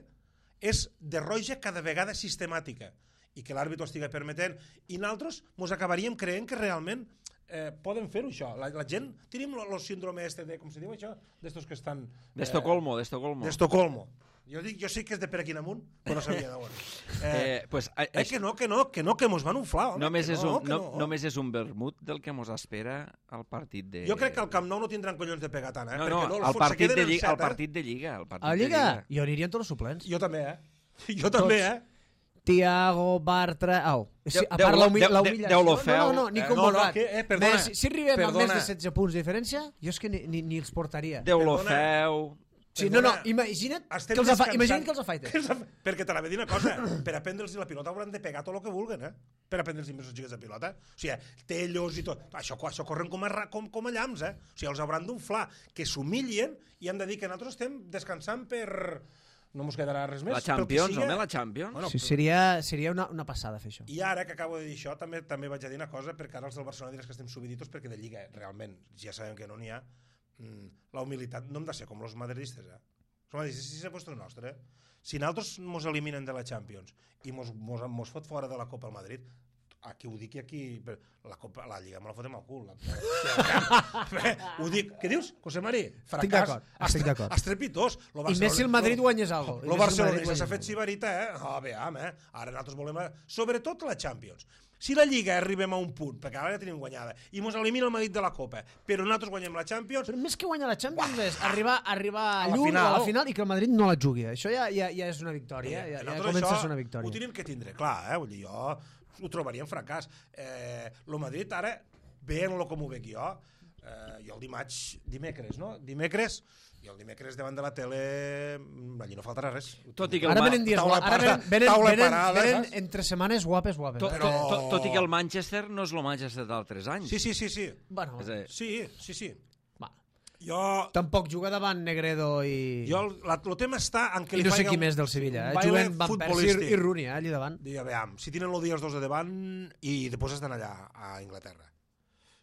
és de roja cada vegada sistemàtica i que l'àrbitro estigui permetent i nosaltres mos acabaríem creient que realment Eh, poden fer-ho, això. La, la gent... Tenim el síndrome este de... Com se diu això? D'estos que estan... Eh, D'Estocolmo, d'Estocolmo. D'Estocolmo. Jo dic, jo sé que és de per aquí en amunt, però no sabia d'on. Eh, eh, pues, a, eh, que no, que no, que no, que mos van unflar. Home, només, que és no, un, que no, no. només és un vermut del que mos espera al partit de... Jo crec que al Camp Nou no tindran collons de pegar tant, eh? No, no, no, no el, partit de lliga, set, el partit de Lliga. El partit a Lliga? De lliga. Jo anirien tots els suplents. Jo també, eh? Jo també, eh? Tiago, Bartra... Au. Sí, a Déu- part l'humi- Déu- l'humillació... Déu lo No, feu. no, no, ni Eh, com no, no, volat. que- eh, perdona, Més, si arribem a perdona. més de setze punts de diferència, jo és que ni, ni, ni els portaria. Déu lo Perdona. feu. Sí, no, no, Perdona. imagina't Estem que els, afa... descansant. imagina't que els afaiten. Que els afa- Perquè te la ve dir una cosa, per aprendre'ls la pilota hauran de pegar tot el que vulguen, eh? Per aprendre'ls més els xiquets de pilota. O sigui, tellos i tot. Això, això corren com a, ra- com, com a llamps, eh? O sigui, els hauran d'unflar, que s'humilien i han de dir que nosaltres estem descansant per... No mos quedarà res més. La pel que Champions, siga. home, la Champions. Bueno, Sí, seria, seria una, una passada fer això. I ara que acabo de dir això, també també vaig a dir una cosa, perquè ara els del Barcelona diràs que estem subiditos, perquè de Lliga, realment, ja sabem que no n'hi ha, mm, la humilitat no hem de ser com els madridistes, eh? Els madridistes, si és vostre nostre, si nosaltres mos eliminen de la Champions i mos, mos, mos fot fora de la Copa al Madrid, aquí ho dic i aquí... La, Copa, la Lliga me la fotem al cul. La, la, ho dic. Què dius, José Mari? Estic d'acord, estic d'acord. Estrepitós. I més si el Madrid guanyés alguna cosa. Lo Barcelona s'ha fet sibarita, eh? Oh, veam, eh? Ara nosaltres volem... Sobretot la Champions. Si la Lliga arribem a un punt, perquè ara ja tenim guanyada, i mos elimina el Madrid de la Copa, però nosaltres guanyem la Champions... Però més que guanyar la Champions és arribar, arribar A la lluny final. a la final i que el Madrid no la jugui. Això ja, ja, ja és una victòria. Ja, ja Nosaltres comença a això ser una victòria. Ho tenim que tindre, clar, eh? Vull dir, jo ho trobaria un fracàs. Eh, lo Madrid ara, veient-lo com ho veig jo, eh, jo el dimarts, dimecres, no? Dimecres, i el dimecres davant de la tele, allí no faltarà res. Tot i que el Ara Ma- venen dies taula guapes. Ara parada, venen, venen, taula venen, parada, venen saps? entre setmanes guapes, guapes. Tot, eh? Però- tot, tot, tot i que el Manchester no és el Manchester d'altres anys. Sí, sí, sí, sí. Bueno, És a dir, Sí, sí, sí. va. Jo... Tampoc juga davant Negredo i... Jo, el, la, el tema està en que I li no sé faiga qui un- més del Sevilla. un Eh? baile Juguen Van Persie futbolístic. i Rooney, eh? allà davant. Digue, veam, si tenen el dia els dos de davant i després estan allà a Inglaterra.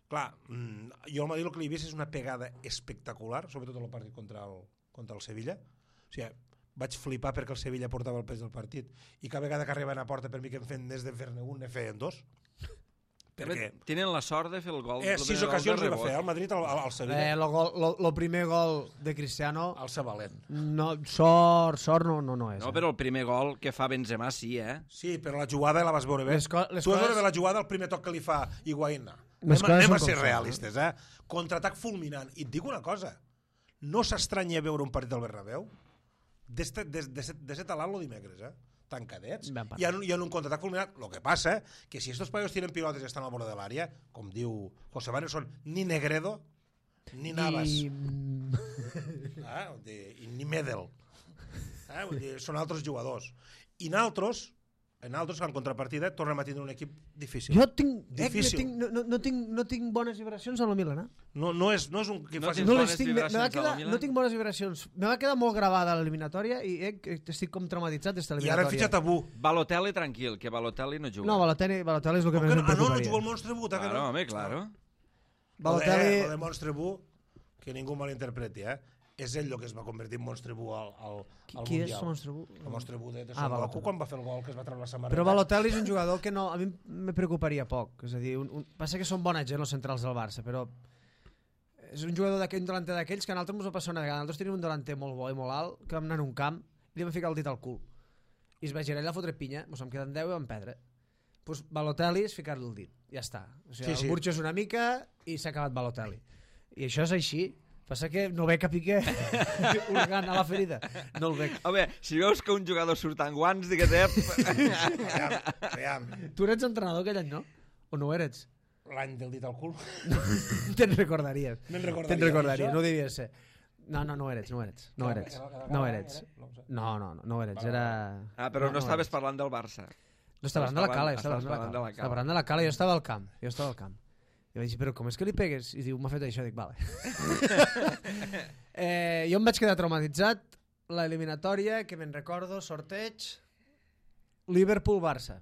Clar, mm, jo al Madrid el que li he vist és una pegada espectacular, sobretot en el partit contra el, contra el Sevilla. O sigui, vaig flipar perquè el Sevilla portava el pes del partit i cada vegada que arribaven a porta per mi que em feien més de fer-ne un, ne feien dos. Perquè tenen la sort de fer el gol. eh, el sis primer gol ocasions de li va rebot. fer al Madrid al, al, al Sevilla. Eh, lo, gol, lo, lo primer gol de Cristiano... Al Sabalent. No, sort, sort no, no, no és. No, eh? però el primer gol que fa Benzema sí, eh? Sí, però la jugada la vas veure bé. Les co- les tu vas coses- veure bé la jugada, el primer toc que li fa Higuaín. Les Anem, coses anem són a ser com són, realistes, eh? Contraatac fulminant. I et dic una cosa, no s'estranya veure un partit del Bernabéu de, de, de, de, de set a l'alt lo dimecres, eh? Tancadets, Ben parat. i en, i en un contraatac fulminant. Lo que passa que si estos paios tienen pilotes i estan al bord de l'àrea, com diu José Manuel, són ni Negredo ni Navas, I... eh? Vull dir, i ni Medel, eh? Vull dir, són altres jugadors. I naltros, en altres, en contrapartida, tornem a tindre un equip difícil. Jo tinc, eh, Difícil. tinc, no, no, no, tinc, no tinc bones vibracions amb el Milan, eh? No, no, és, no és un equip No fàcil. tens No, bones les tinc, me, me va vibracions quedar, al Milan? no tinc bones vibracions. Me va quedar molt gravada l'eliminatòria i eh, que estic com traumatitzat d'esta I eliminatòria. ara hem fitxat a Bu. Balotelli tranquil, que Balotelli no juga. No, Balotelli, Balotelli és el que Com més que em no? Ah, no, no preocuparia. juga el Monstre Bu, que Claro, no? home, claro. Balotelli... Lo de, lo de Monstre Bu, que ningú malinterpreti, eh? És ell el que es va convertir en Monstre Bu al, al, Qui, al qui és Mundial. el Monstre Bu? El Monstre Bu de, de Ah, Son Goku, Balotelli. quan va fer el gol que es va treure la samarreta. Però Balotelli és un jugador que no, a mi me preocuparia poc. És a dir, un, un, passa que són bona gent els centrals del Barça, però és un jugador d'aquell, un delanter d'aquells que a nosaltres ens va passar una vegada. Nosaltres tenim un delanter molt bo i molt alt, que vam anar en un camp i li vam ficar el dit al cul. I es va girar allà a fotre pinya, ens vam quedar en deu i vam perdre. Pues Balotelli és ficar-li el dit, ja està. O sigui, Sí, sí, sí. el burxes una mica i s'ha acabat Balotelli. I això és així. Passa que no veig a Piqué hurgant a la ferida. No el veig. Home, si veus que un jugador surt amb guants, digues, eh? Aviam, aviam. Tu eres entrenador aquell any, no? O no ho eres? L'any del dit al cul. Te'n recordaries. Me'n recordaria. Te'n recordaries, Això? no devia ser. No, no, no ho eres, no ho eres. No ho eres. No ho eres. No, no, no, no ho eres. Era... Ah, però no, ho estaves eres. parlant del Barça. No estava parlant de la cala, jo estava Estaves parlant de la cala. parlant de la Estava cala. parlant de la cala, jo estava al camp. Jo estava al camp. I vaig dir, però com és que li pegues? I diu, m'ha fet això. Dic, vale. eh, jo em vaig quedar traumatitzat. L'eliminatòria, que me'n recordo, sorteig, Liverpool-Barça.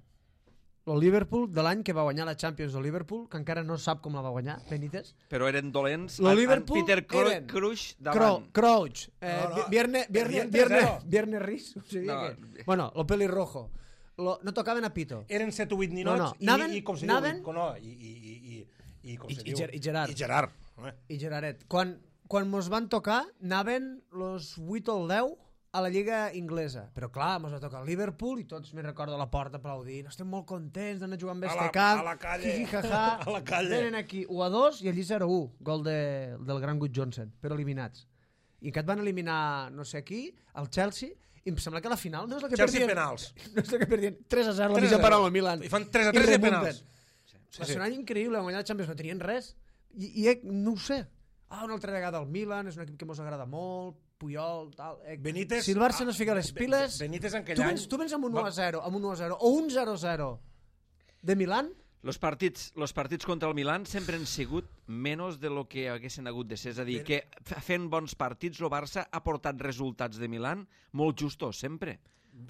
El Liverpool de l'any que va guanyar la Champions del Liverpool, que encara no sap com la va guanyar, Benítez. Però eren dolents. Lo En- en Liverpool Peter Cro eren Crouch Cro davant. Crouch, eh, No, no, Vierne, Vierne, perdien Vierne, tres zero. Vierne Riz, o sigui No. que... Bueno, lo pelirrojo. Lo, no tocaven a pito. Eren set o vuit ninots No, no. i, Anaven- i, com se anaven- diu? No, i, i, i, i, i, com I- se i diu? Ger- i Gerard. I Gerard. Eh? I Geraret. Quan, quan mos van tocar, anaven los vuit o el deu a la lliga inglesa. Però clar, mos va tocar el Liverpool i tots, me'n recordo, a la porta aplaudint. Estem molt contents d'anar jugant amb A este la- camp. a la calle. Jiji, jaja. A la calle. Venen aquí u a dos i allí zero a u. Gol de, del gran Good Johnson, però eliminats. I que et van eliminar no sé qui, el Chelsea, I em sembla que la final no és la que Chelsea perdien... penals. No és la que perdien tres a zero la tres a mitja zero. part al Milan. I fan tres a tres i remunten. penals. Sí, Va ser un any increïble, van guanyar la Champions, no tenien res. I, i eh, no ho sé. Ah, una altra vegada el Milan, és un equip que mos agrada molt, Puyol, tal... Eh. Benítez... Si el Barça no es fica les piles... Benítez en aquell tu any... vens, tu vens amb un u a zero, amb un u a zero, o un zero a zero de Milan... Los partits, los partits contra el Milan sempre han sigut menys de lo que haguessin hagut de ser. És a dir, que fent bons partits el Barça ha portat resultats de Milan molt justos, sempre.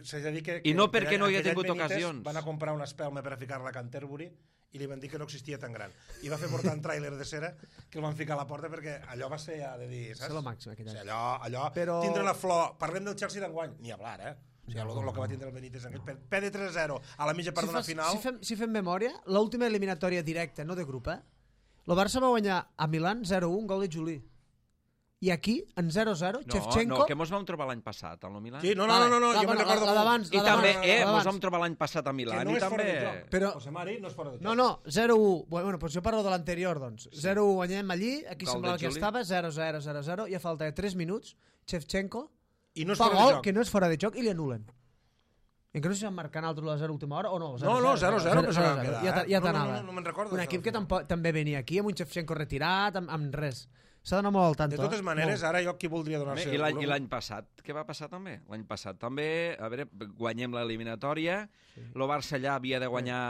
S'ha de dir que, I no que perquè no hi ha aquell any tingut Benítez ocasions. Van a comprar una espelma per a ficar-la a Canterbury i li van dir que no existia tan gran. I va fer portar un tràiler de cera que el van ficar a la porta perquè allò va ser, ja de dir, saps? És el màxim aquell O sigui, any. allò, allò Però- tindre la flor... Parlem del Chelsea d'enguany, ni hablar, eh? O sigui, el, el que va tindre el Benítez en aquell... P de tres a zero a la mitja part Si, d'una fas, final... si, fem, si fem memòria, l'última eliminatòria directa, no de grup, eh? El Barça va guanyar a Milan zero a un, gol de Juli. I aquí, en zero a zero, No, Shevchenko... no, que mos vam trobar l'any passat, al Milan. Sí, no, no, no, no, no La- jo me'n la- recordo... la d'abans, I la també, d'abans, eh, la mos d'abans. vam trobar l'any passat a Que Milan. no I és fora també... de joc. Però- José Mari no és fora de joc. No, no, zero a un. Bueno, doncs jo parlo de l'anterior, doncs. zero a un guanyem allí, aquí Gol semblava de que Juli. estava, zero a zero, zero a zero, i a falta de tres minuts, Shevchenko I no és fa fora de gol joc. que no és fora de joc i li anulen. I que no sé si van marcar altre a zero a última hora o no. No, no, zero a zero, però se van quedar, Ja, eh? ja No, no, t'anava. no, no me'n recordo Un d'això, equip que al final. tampoc, també venia aquí, amb un Shevchenko retirat, amb, amb res. S'ha d'anar molt al tanto. De totes eh? maneres, Molt. ara jo qui voldria donar-se... I l'any i l'any passat, què va passar també? L'any passat també, a veure, guanyem l'eliminatòria, sí. El Barça allà havia de guanyar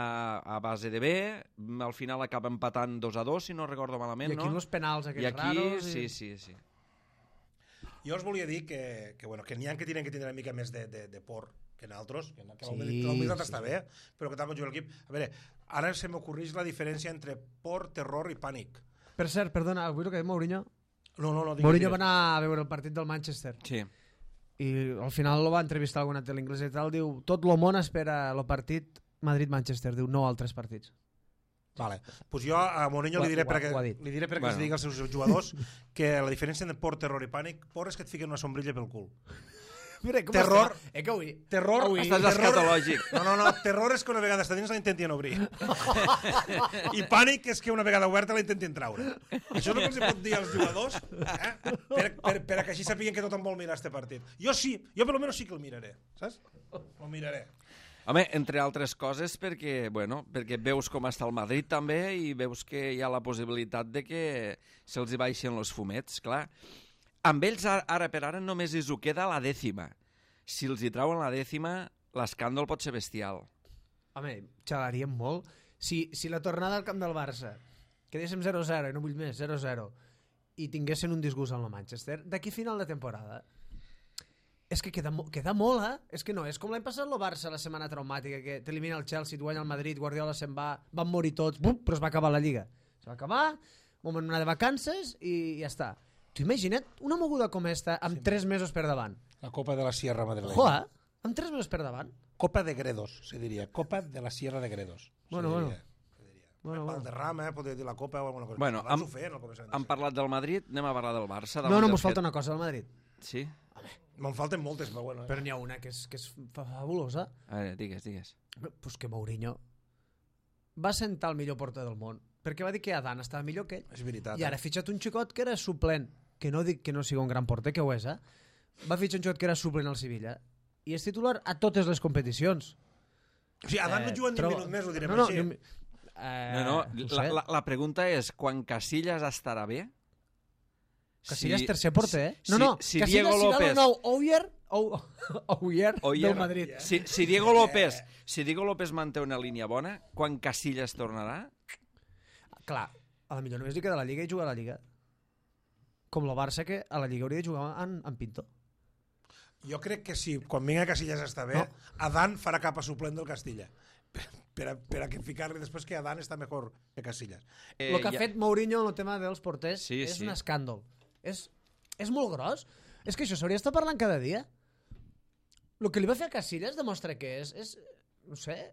a base de B, al final acaba empatant dos a dos, si no recordo malament, I aquí no? els penals I aquests aquí, raros. sí, sí, sí. Jo us volia dir que, que, bueno, que n'hi ha que tenen que tindre una mica més de, de, de por que nosaltres, que, que Sí, l'humilitat sí. està bé, però que tal com juga l'equip... A veure, ara se m'ocorreix la diferència entre por, terror i pànic. Per cert, perdona, avui el que diu Mourinho... No, no, no. Digues, Mourinho digues. va anar a veure el partit del Manchester Sí. i al final lo va entrevistar alguna tele inglesa i tal, diu, tot el món espera el partit Madrid-Manchester, diu, no altres partits. Vale. Pues jo a Mourinho Ho ha- li diré ho ha- perquè, ho ha dit. li diré perquè Bueno. bueno. digui als seus jugadors que la diferència entre por, terror i pànic, por és que et fiquen una sombrilla pel cul. Mira, com Terror. està? Eh, que avui... Terror, Avui- Estàs terror- escatològic. No, no, no, terror és que una vegada està dins la intentien obrir. I pànic és que una vegada oberta la intentin traure. Això és el que els pot dir als jugadors, eh? per, per, per a que així sàpiguen que tothom vol mirar este partit. Jo sí, jo per almenys sí que el miraré, saps? El miraré. Home, entre altres coses perquè, bueno, perquè veus com està el Madrid també i veus que hi ha la possibilitat de que se'ls hi baixen els fumets, clar. Amb ells ara, ara per ara només els ho queda la dècima. Si els hi trauen la dècima, l'escàndol pot ser bestial. Home, xalaríem molt. Si, si la tornada al camp del Barça quedéssim zero a zero, i no vull més, zero a zero, i tinguessin un disgust amb el Manchester, d'aquí a final de temporada, és que queda, mo- queda molt, eh? És que no, és com l'any passat el Barça, la setmana traumàtica, que t'elimina el Chelsea, et guanya el Madrid, Guardiola se'n va, van morir tots, bum, però es va acabar la Lliga. Es va acabar, moment anar de vacances i ja està. Tu imagina't una moguda com esta amb sí, tres mesos per davant. La Copa de la Sierra Madrileña. Joa, amb tres mesos per davant. Copa de Gredos, se diria. Copa de la Sierra de Gredos. Bueno, se bueno. diria. Se diria. Bueno, bueno. Valderrama, eh, podria dir la Copa o alguna cosa. Bueno, Abans hem- ho feien al començament. Hem parlat del Madrid, anem a parlar del Barça. No, davant no, del mos falta fet- una cosa del Madrid. Sí? Me'n falten moltes, però bueno. Eh? Però n'hi ha una que és, que és fa- fabulosa. A veure, digues, digues. Pues que Mourinho va sentar el millor porter del món perquè va dir que Adán estava millor que ell. És veritat. I ara ha eh? fitxat un xicot que era suplent, que no dic que no sigui un gran porter, que ho és, eh? Va fitxar un xicot que era suplent al Sevilla i és titular a totes les competicions. O sigui, Adán no juga ni un trobo- minut més, ho direm no, no, així. ni un mi- Eh, No, no, ho la, sé. la, la pregunta és, quan Casillas estarà bé? Casillas tercer porter, eh? si- No, no, si Casillas Diego serà López- el nou Oyer, Ou- Oyer Oyer. del Madrid. Si, si Diego López si Diego López manté una línia bona, quan Casillas tornarà? Clar, a la millor només li queda la Lliga i jugar a la Lliga. Com el Barça, que a la Lliga hauria de jugar en, en Pinto. Jo crec que si quan vinga Casillas està bé, No. Adán farà cap a suplent del Castilla. Per, per, a, per a que ficar-li després que Adán està millor que Casillas. Eh, El que ha ja- fet Mourinho en el tema dels porters Sí, és sí. un escàndol. És, és molt gros. És que això s'hauria d'estar parlant cada dia. El que li va fer a Casillas demostra que és, és no sé,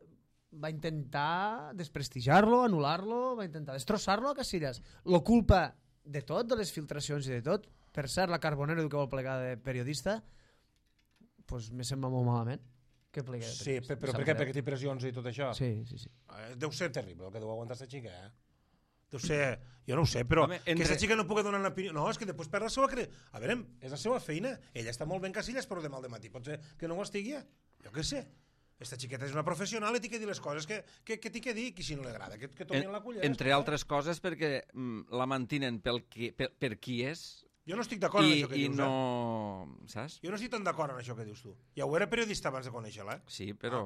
va intentar desprestigiar-lo, anul·lar-lo, va intentar destrossar-lo a Casillas. La culpa de tot, de les filtracions i de tot, per cert, la Carbonero que vol plegar de periodista, pues me sembla molt malament que plegui de Sí, periodista. però, però Em per sap què? greu. Perquè té pressions i tot això? Sí, sí, sí. Eh, Deu ser terrible el que deu aguantar aquesta xica, eh? Deu ser... Jo no ho sé, però Home, entre... entre- aquesta xica no pugui donar una opinió... No, és que després perd la seva... Cre... A veure, és la seva feina. Ella està molt ben Casillas, però demà al dematí pot ser que no ho estigui. Jo què sé. Esta xiqueta és una professional i t'hi que dir les coses que, que, que t'hi que dir, que si no li agrada, que, que tomin En, la cullera. entre altres coses perquè mm, la mantinen pel qui, per, per qui és Jo no estic d'acord amb i, això que i dius, no... eh? Saps? Jo no estic tan d'acord amb això que dius tu. Ja ho era periodista abans de conèixer-la, eh? Sí, però...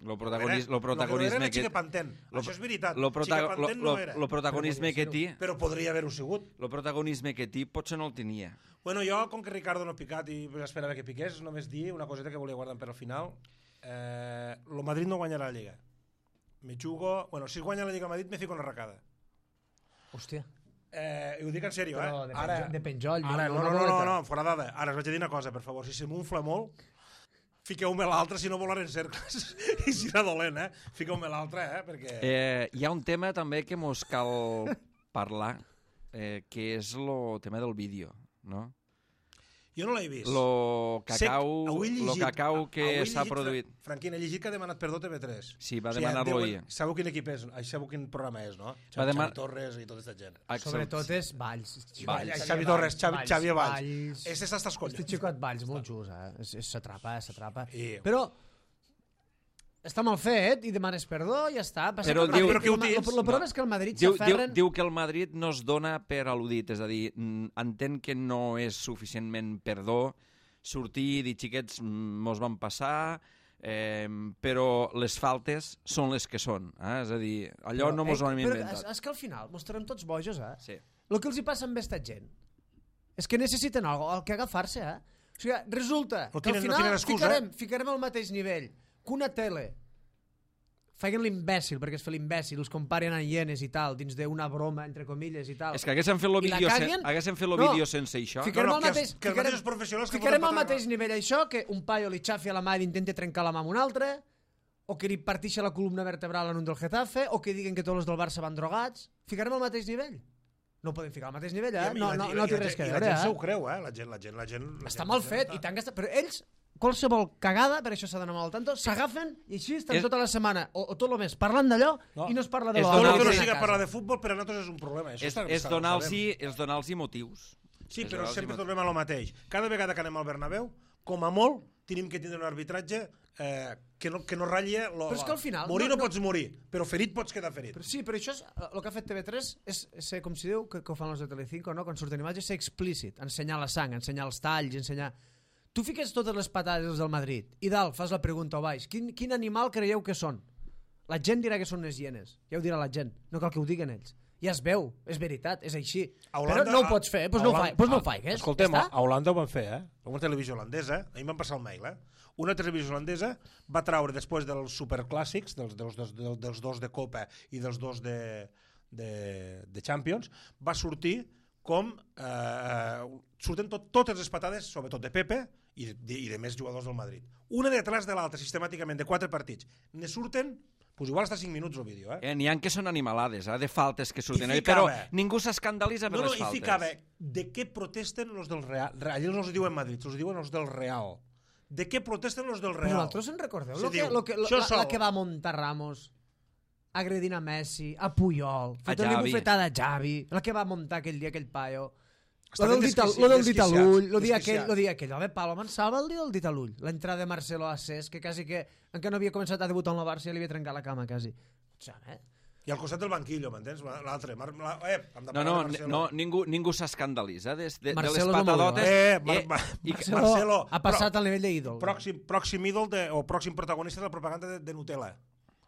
Lo, Era- protagonis, lo Lo que era protagonisme era que... Xica Panten. lo- Això és veritat. Lo, prota, Xica lo, Panten lo, no era. lo protagonisme que té... Però podria haver-ho sigut. Lo protagonisme que té potser no el tenia. Bueno, jo, com que Ricardo no ha picat i esperava que piqués, només dir una coseta que volia guardar per al final. Eh, lo Madrid no guanyarà la Lliga. Me jugo... Bueno, si es guanya la Lliga Madrid, me fico una arracada. Hòstia. Eh, I ho dic en sèrio, Però eh? de, penjo, de penjoll. Ara, no, no, no, no, no, fora dada. Ara us vaig a dir una cosa, per favor. Si se m'unfla molt, fiqueu-me l'altra, si no volar en cercles. I si era dolent, eh? Fiqueu-me l'altra, eh? Perquè... Eh, hi ha un tema també que mos cal parlar, eh, que és el tema del vídeo, no? Jo no l'he vist. Lo Sé- cacau, avui he lo llegit- cacau que avui he s'ha llegit, produït. Fra- Franquina, he llegit que ha demanat perdó T V tres. Sí, va O sigui, demanar-lo deuen- ahir. Sabeu quin equip és? Ai, sabeu quin programa és, no? Va deman- Xavi Torres i tota aquesta gent. Axel- Sobretot és Valls. Valls, Xavi Xavi Torres, Xavi, Valls, Xavi Valls. Valls. Este està als collons. Este xicot Valls, molt just, eh? És- és- S'atrapa, s'atrapa. I- Però està mal fet i demanes perdó i ja està. Passa Però que el diu- Madrid- però què ho el, tens? el, el problema No. és que el Madrid Diu, diu, s'aferren... diu que el Madrid no es dona per al·ludit, és a dir, mm, entén que no és suficientment perdó sortir i dir, xiquets, mm, mos van passar, eh, però les faltes són les que són. Eh? És a dir, allò Però, no mos eh, ho hem però inventat. És, és que al final mos estarem tots bojos, eh? Sí. El que els hi passa amb aquesta gent és que necessiten algo al que agafar-se, eh? O sigui, resulta No que al tenen- no final tenen excusa, ficarem, ficarem al mateix nivell que una tele feien l'imbècil, perquè es fa l'imbècil, els comparen a hienes i tal, dins d'una broma, entre comilles, i tal. És que haguéssim fet el I la vídeo, sen, caguen? haguéssim fet el No. vídeo sense això. Ficarem No, no, al que els- mateix, que els ficarem, mateixos professionals que ficarem foten al patada- mateix nivell això, que un paio li xafi a la mà i intenta trencar la mà amb un altre, o que li partixi la columna vertebral en un del Getafe, o que diguen que tots els del Barça van drogats. Ficarem al mateix nivell? No ho podem ficar al mateix nivell, eh? I- i No, la- no, i no la té gent- res que i veure, la gent eh? se ho creu, eh? La gent, la gent, la gent, la Està gent, mal la gent fet està- i tant gastat. Però ells, qualsevol cagada, per això s'ha d'anar mal al tanto, s'agafen i així estan És- tota la setmana, o, o tot el mes, parlant d'allò No. i no es parla de És lo Tot el donar- que no Sí. siga parlar de futbol per a nosaltres és un problema. Això És, està, és està- ho donar-los sabem. és donar motius. Sí, És però donar-los sempre motius. tornem a lo mateix. Cada vegada que anem al Bernabéu, com a molt, tenim que tindre un arbitratge eh, que, no, que no ratlli... Lo, Però és que al final- Morir no- no, no- pots morir, però ferit pots quedar ferit. Però sí, però això és, el que ha fet T V tres és, és ser, com si diu, que, que ho fan els de Telecinco, no? Quan surten imatges, ser explícit, ensenyar la sang, ensenyar els talls, ensenyar... Tu fiques totes les patades dels del Madrid i dalt fas la pregunta o baix, quin, quin animal creieu que són? La gent dirà que són les hienes, ja ho dirà la gent, no cal que ho diguen ells. Ja es veu, és veritat, és així. A Holanda- però no ho pots fer, doncs no ho, fa, doncs no ho faigues. Escoltem, ja està. a Holanda ho van fer, eh? Una televisió holandesa, a mi em van passar el mail, eh? Una televisió holandesa va traure, després dels superclàssics, dels, dels, dels, dels, dels dos de Copa i dels dos de, de, de Champions, va sortir com... Eh, surten tot, totes les patades, sobretot de Pepe i de, i de més jugadors del Madrid. Una detrás de l'altra, sistemàticament, de quatre partits. Ne surten... Pues igual està cinc minuts el vídeo, eh? Eh, N'hi ha que són animalades, eh, de faltes que surten. I Eh, però ficava- ningú s'escandalitza per No, no, les i faltes. ficava, de què protesten els del Real? Allà no els diuen Madrid, els diuen els del Real. De què protesten els del Però Real? vosaltres en recordeu? Se Lo que, diu, lo que, lo, això la, sol. la que va muntar Ramos agredint a Messi, a Puyol, A fotent-li Xavi. bufetada a Xavi, la que va muntar aquell dia aquell paio. Lo Estan del, dit, al- desquici- lo del dit a desquiciats, l'ull, lo dia aquell, desquiciats. lo dia aquell. Home, Pablo Mansalva el dia del dit a l'ull. L'entrada de Marcelo a Cés, que quasi que, encara no havia començat a debutar en la Barça, ja li havia trencat la cama, quasi. Eh? I al costat del banquillo, m'entens? L'altre. Mar... La... Eh, hem de No, parlar no, de Marcelo. no ningú, ningú s'escandalitza de, de, de les Marcelo és el patadotes. Eh, Mar... eh, Mar... i, Marcelo, Marcelo, ha passat pro- al nivell d'ídol. Pròxim, pròxim ídol de, o pròxim protagonista de la propaganda de, de Nutella.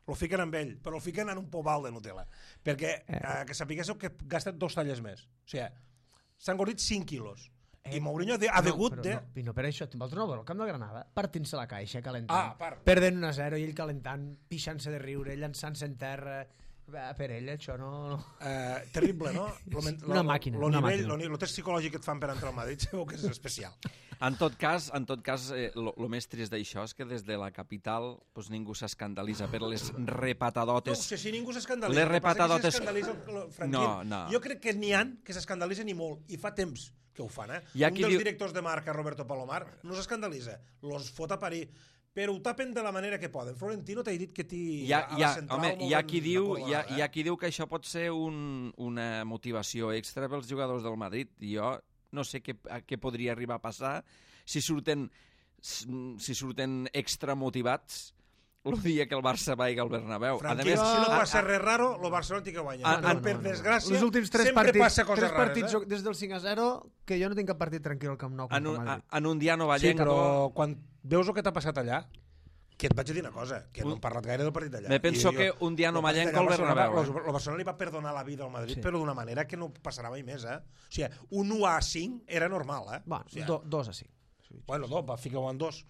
Lo fiquen amb ell, però el fiquen en un pobal de Nutella. Perquè, eh, que sapiguéssiu que gasten dos talles més. O sigui, s'han engordit cinc quilos. I Mourinho ha, de, ha degut no, de... No, i no per això, vosaltres no veure el camp de Granada, partint-se la caixa, calentant, Ah, a part. perdent un a zero i ell calentant, pixant-se de riure, llançant-se en terra. Va, per ell això no... no. Eh, terrible, no? Lo, men- Una lo- màquina, Lo una nivell, màquina. lo, ni- lo test psicològic que et fan per entrar al Madrid sabeu que és especial. En tot cas, en tot cas, eh, lo, lo més trist d'això és que des de la capital pues, ningú s'escandalitza per les No repatadotes. ho sé, si ningú s'escandalitza. Les el que passa és que repatadotes- s'escandalitza el- el Franquín. No, no. Jo crec que n'hi han que s'escandalitzen i molt, i fa temps que ho fan, eh? Hi ha Un qui dels diu- directors de marca, Roberto Palomar, no s'escandalitza, los fot a parir, però ho tapen de la manera que poden. Florentino t'ha dit que t'hi... Hi ha, hi ha, home, hi ha, qui diu, hi, ha, hi ha qui diu que això pot ser un, una motivació extra pels jugadors del Madrid. Jo no sé què, què podria arribar a passar si surten, si surten extra motivats el dia que el Barça vagi al Bernabéu. Franquia, si no passa res raro, el Barcelona té que guanyar. Ah, no, no, per no, no. desgràcia, Els últims tres sempre partits, passa coses tres rares. partits Eh? des del cinc a zero que jo no tinc cap partit tranquil al Camp Nou En contra un, Madrid. en un dia no Sí, vallenc... però quan veus el que t'ha passat allà, que et vaig dir una cosa, que no hem parlat gaire del partit d'allà. Me penso I que un dia no mallenco al Bernabéu. El Barcelona li va perdonar la vida al Madrid, Sí. però d'una manera que no passarà mai més. Eh? O sigui, un u a cinc era normal. Eh? Bueno, o sigui, do, dos a cinc. bueno, dos, va ficar-ho en dos.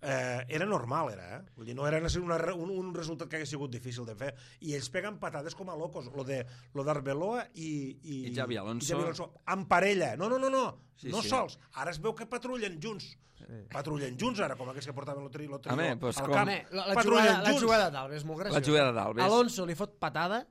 Eh, era normal, era, eh? Vull dir, no era una, un, un resultat que hagués sigut difícil de fer. I ells peguen patades com a locos. Lo de lo d'Arbeloa i, i, I Xavi Alonso. i Xavi Alonso. En parella. No, no, no, no. Sí, no sí. sols. Ara es veu que patrullen junts. Sí. Patrullen junts ara, com aquests que portaven el tri, el tri, Home, pues al com- camp. Home, la, la, Patrullen jugada, la junts. jugada d'Alves és molt graciosa. La jugada d'Alves. Alonso li fot patada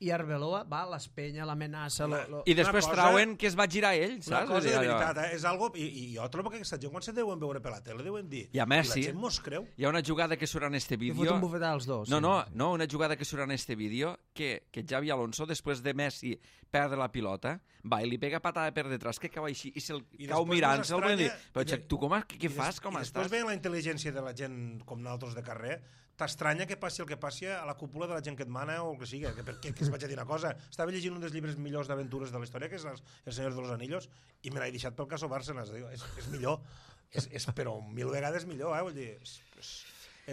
i Arbeloa va, l'espenya, l'amenaça... Lo, lo... I després Una cosa- trauen que es va girar ell, Una saps? cosa de Vull dir, allò- veritat, eh? És algo... I, i jo trobo que aquesta gent, quan se deuen veure per la tele, deuen dir... I a Messi. I la gent mos creu. Hi ha una jugada que surt en este Li fot vídeo... un bufetat als dos. No, sí, no, sí. no, una jugada que surt en este vídeo que, que Xavi Alonso, després de Messi perdre la pilota, va i li pega patada per detrás, que cau així, i se'l I cau després mirant-se'l, mos vull dir, estranya- però i de- Xac, tu com, a- què, què I fas, des- com i després estàs? veient la intel·ligència de la gent com nosaltres de carrer, t'estranya que passi el que passi a la cúpula de la gent que et mana o el que sigui, que, que, que es vaig a dir una cosa. Estava llegint un dels llibres millors d'aventures de la història, que és El, el Senyor de los Anillos, i me l'he deixat pel caso Bárcenas. Diu, és, és millor, és, és, però mil vegades millor, eh? Vull dir, és, és,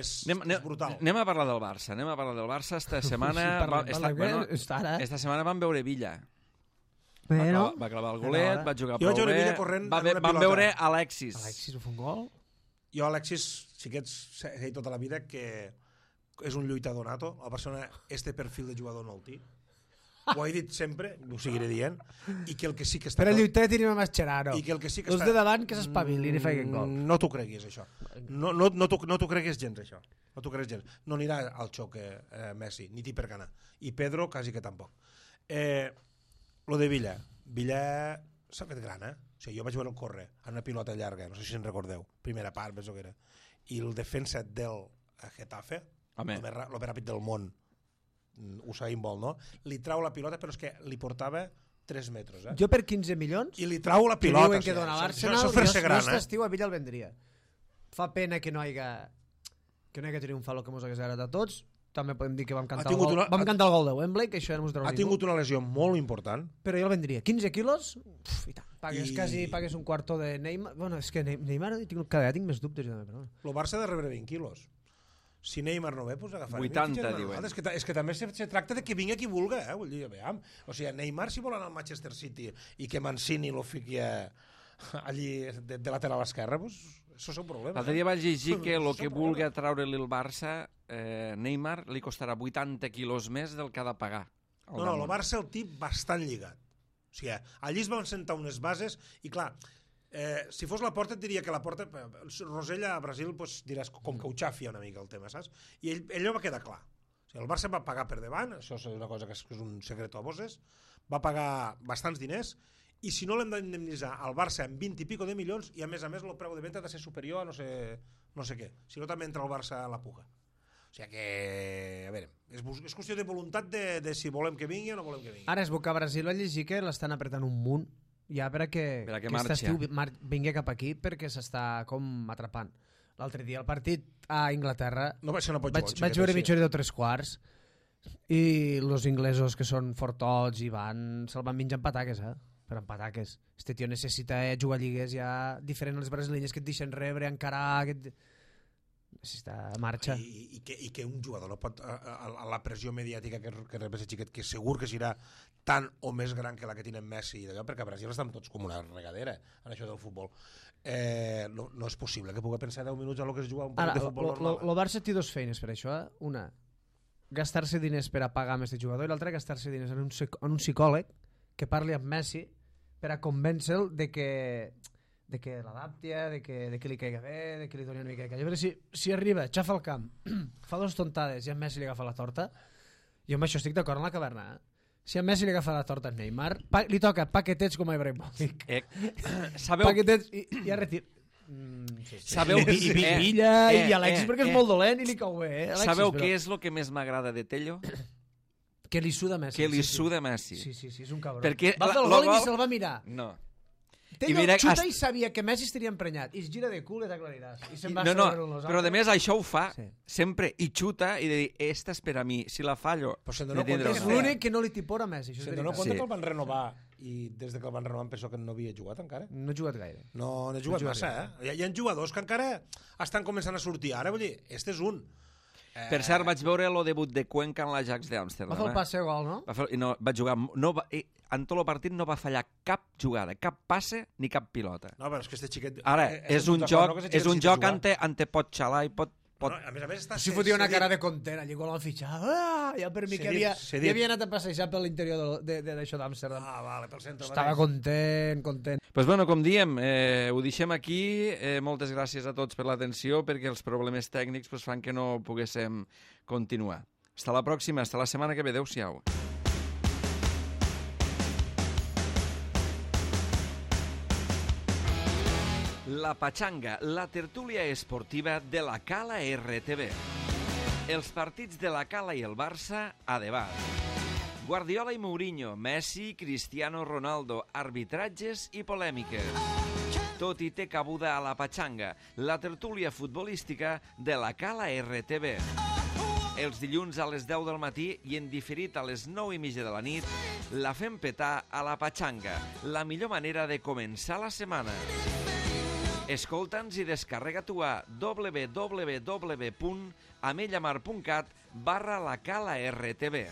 és, Anem, és brutal. anem a parlar del Barça, anem a parlar del Barça. Esta setmana, Sí, parlem, va, esta, parlem, bueno, està ara, eh? esta setmana van veure Villa. Va Bueno, clavar, va clavar el golet, ara. va jugar Jo vaig prou veure bé, Villa corrent va, en ve- una van pilota. veure Alexis. Alexis ho fa un gol? Jo, Alexis, sí que ets, he dit tota la vida que és un lluitador nato. El Barcelona, este perfil de jugador no el té. Ho he dit sempre, ho seguiré dient, i que el que sí que està... Per a lluitar tenim a Mascherano. I que el que sí que Els està... de davant que s'espavilin i feien gol. No t'ho creguis, això. No, no, no t'ho no t'ho creguis gens, això. No t'ho creguis gens. No anirà al xoc eh, eh, Messi, ni té per ganar. I Pedro, quasi que tampoc. Eh, lo de Villa. Villa s'ha fet gran, eh? O sigui, jo vaig veure el córrer en una pilota llarga, no sé si en recordeu. Primera part, penso que era. I el defensa del Getafe, Home. el més, ra- el més ràpid del món, Usain Bolt, no? Li trau la pilota, però és que li portava tres metres, eh? Jo per quinze milions, I li trau la que pilota. diuen que o sigui, dona això- l'Arsenal, això jo, és fer-se jo gran, aquest eh? estiu a Villa el vendria. Fa pena que no hagi que no hagi triomfat el que mos hagués agradat a tots. També podem dir que vam cantar, el tingut gol, una- vam ha- cantar el gol de Wembley, que això ja no mos treu Ha ningú. tingut una lesió molt important. Però jo el vendria. quinze quilos? Uf, i tant. Pagues, I- quasi pagues un quarto de Neymar. Bueno, és que Ne- Neymar tinc, cada vegada tinc més dubtes. Jo, també, però... El Barça ha de rebre vint quilos. Si Neymar no ve, doncs agafarem. vuitanta, I diuen. És que, ta- és que també se, se tracta de que vingui qui vulga, eh? Vull dir, veiem. O sigui, Neymar, si vol anar al Manchester City i que Mancini lo fiqui a, allí de, de lateral esquerra, doncs això és un problema. L'altre dia vaig llegir que el Això és que un vulgui problema. treure-li el Barça, eh, Neymar, li costarà vuitanta quilos més del que ha de pagar. al No, no, el damunt. Barça el tip bastant lligat. O sigui, allí es van sentar unes bases i, clar, eh, si fos la porta et diria que la porta... Rosella a Brasil pues, diràs com que ho xafia una mica el tema, saps? I ell, allò va quedar clar. O sigui, el Barça va pagar per davant, això és una cosa que és, que és un secret a voces, va pagar bastants diners i si no l'hem d'indemnitzar al Barça en vint i pico de milions i a més a més el preu de venda ha de ser superior a no sé, no sé què. Si no també entra el Barça a la puga. O sigui que, a veure, és, és qüestió de voluntat de, de si volem que vingui o no volem que vingui. Ara és Boca Brasil va llegir que l'estan apretant un munt ja per a que, Per a que que aquest marxi. estiu mar- vingui cap aquí perquè s'està com atrapant. L'altre dia el partit a Inglaterra No va ser una vaig, potxola. vaig veure mitja hora de tres quarts i els inglesos que són fortots i van, se'l van menjar amb pataques, eh? Per amb pataques. Este tio necessita eh, jugar a lligues ja diferent a les brasilenyes que et deixen rebre, encarar... Que et... Necessita marxa. I, i, que, I que un jugador no pot, a, a, a la pressió mediàtica que, que rep aquest xiquet, que segur que serà tan o més gran que la que tenen Messi i d'allò, perquè a Brasil estan tots com una regadera en això del futbol. Eh, no, no és possible que pugui pensar deu minuts a lo que es juga un Ara, partit de futbol lo, lo, normal. lo Barça té dos feines per això. Eh? Una, gastar-se diners per a pagar amb aquest jugador, i l'altra, gastar-se diners en un, psic- en un psicòleg que parli amb Messi per a convèncer-lo de que de que l'adapti, de que, de que li caiga bé, de que li doni una mica de calla. Si, si arriba, xafa el camp, fa dos tontades i a Messi li agafa la torta, jo amb això estic d'acord en la caverna. Eh? Si a Messi li agafa la torta a Neymar, pa, li toca paquetets com a Ibrahimovic. Eh, sabeu, Paquetets i, i a retir. Mm, sí, sí. Sabeu I, i, i eh, Villa eh, i Alexis eh, perquè és eh. molt dolent i li cau bé, eh, Alexis, Sabeu però... què és el que més m'agrada de Tello? Que li suda Messi. Que li sí, suda Messi. Sí, sí, sí, és un cabró. Perquè va la- fer el lo gol i ni gol- se'l va mirar. No. Tello mira, xuta hasta- i sabia que Messi estaria emprenyat. I es gira de cul i t'aclariràs. I se'n va No, no, sobre los però de altres. més això ho fa Sí. sempre i xuta i de dir, esta és per a mi, si la fallo, Però se'n me dona tindrà compte És que una. l'únic que no li tipora a Messi, això és Se'n dona veritat. compte Sí. que el van renovar i des de que el van renovar em penso que no havia jugat encara. No ha jugat gaire. No, no he jugat No ha massa, jugat eh? Hi ha, hi ha jugadors que encara estan començant a sortir. Ara, vull dir, este és un. Eh, Per cert, vaig veure el debut de Cuenca en l'Ajax Va d'Amsterdam. fer el eh? passe gol, no? Va fer, i no, va jugar... No va, eh, en tot el partit no va fallar cap jugada, cap passe ni cap pilota. No, però és que este xiquet... Ara, eh, és estem un d'acord, joc, no, que este és xiquet un necessita joc jugar. on te, on te pot xalar i pot... pot... No, a més a més està... Si fotia una cara de content allí quan l'han fitxat. Ah, ja per mi S'he que dit, havia, s'he ja dit. havia anat a passejar per l'interior de- de- d'això d'Amsterdam. Ah, vale, pel centre. Estava mateix. content, content. Pues bueno, com diem, eh, ho deixem aquí. Eh, moltes gràcies a tots per l'atenció, perquè els problemes tècnics pues, fan que no poguéssim continuar. Hasta la pròxima, hasta la setmana que ve. Adéu-siau. La Pachanga, la tertúlia esportiva de la Cala R T V. Els partits de la Cala i el Barça a debat. Guardiola i Mourinho, Messi, Cristiano Ronaldo, arbitratges i polèmiques. Tot hi té cabuda a la Pachanga, la tertúlia futbolística de la Cala R T V. Els dilluns a les deu del matí i en diferit a les nou i mitja de la nit, la fem petar a la Pachanga, la millor manera de començar la setmana. Escolta'ns i descarrega tu a w w w punt amellamar punt cat barra la Cala R T V.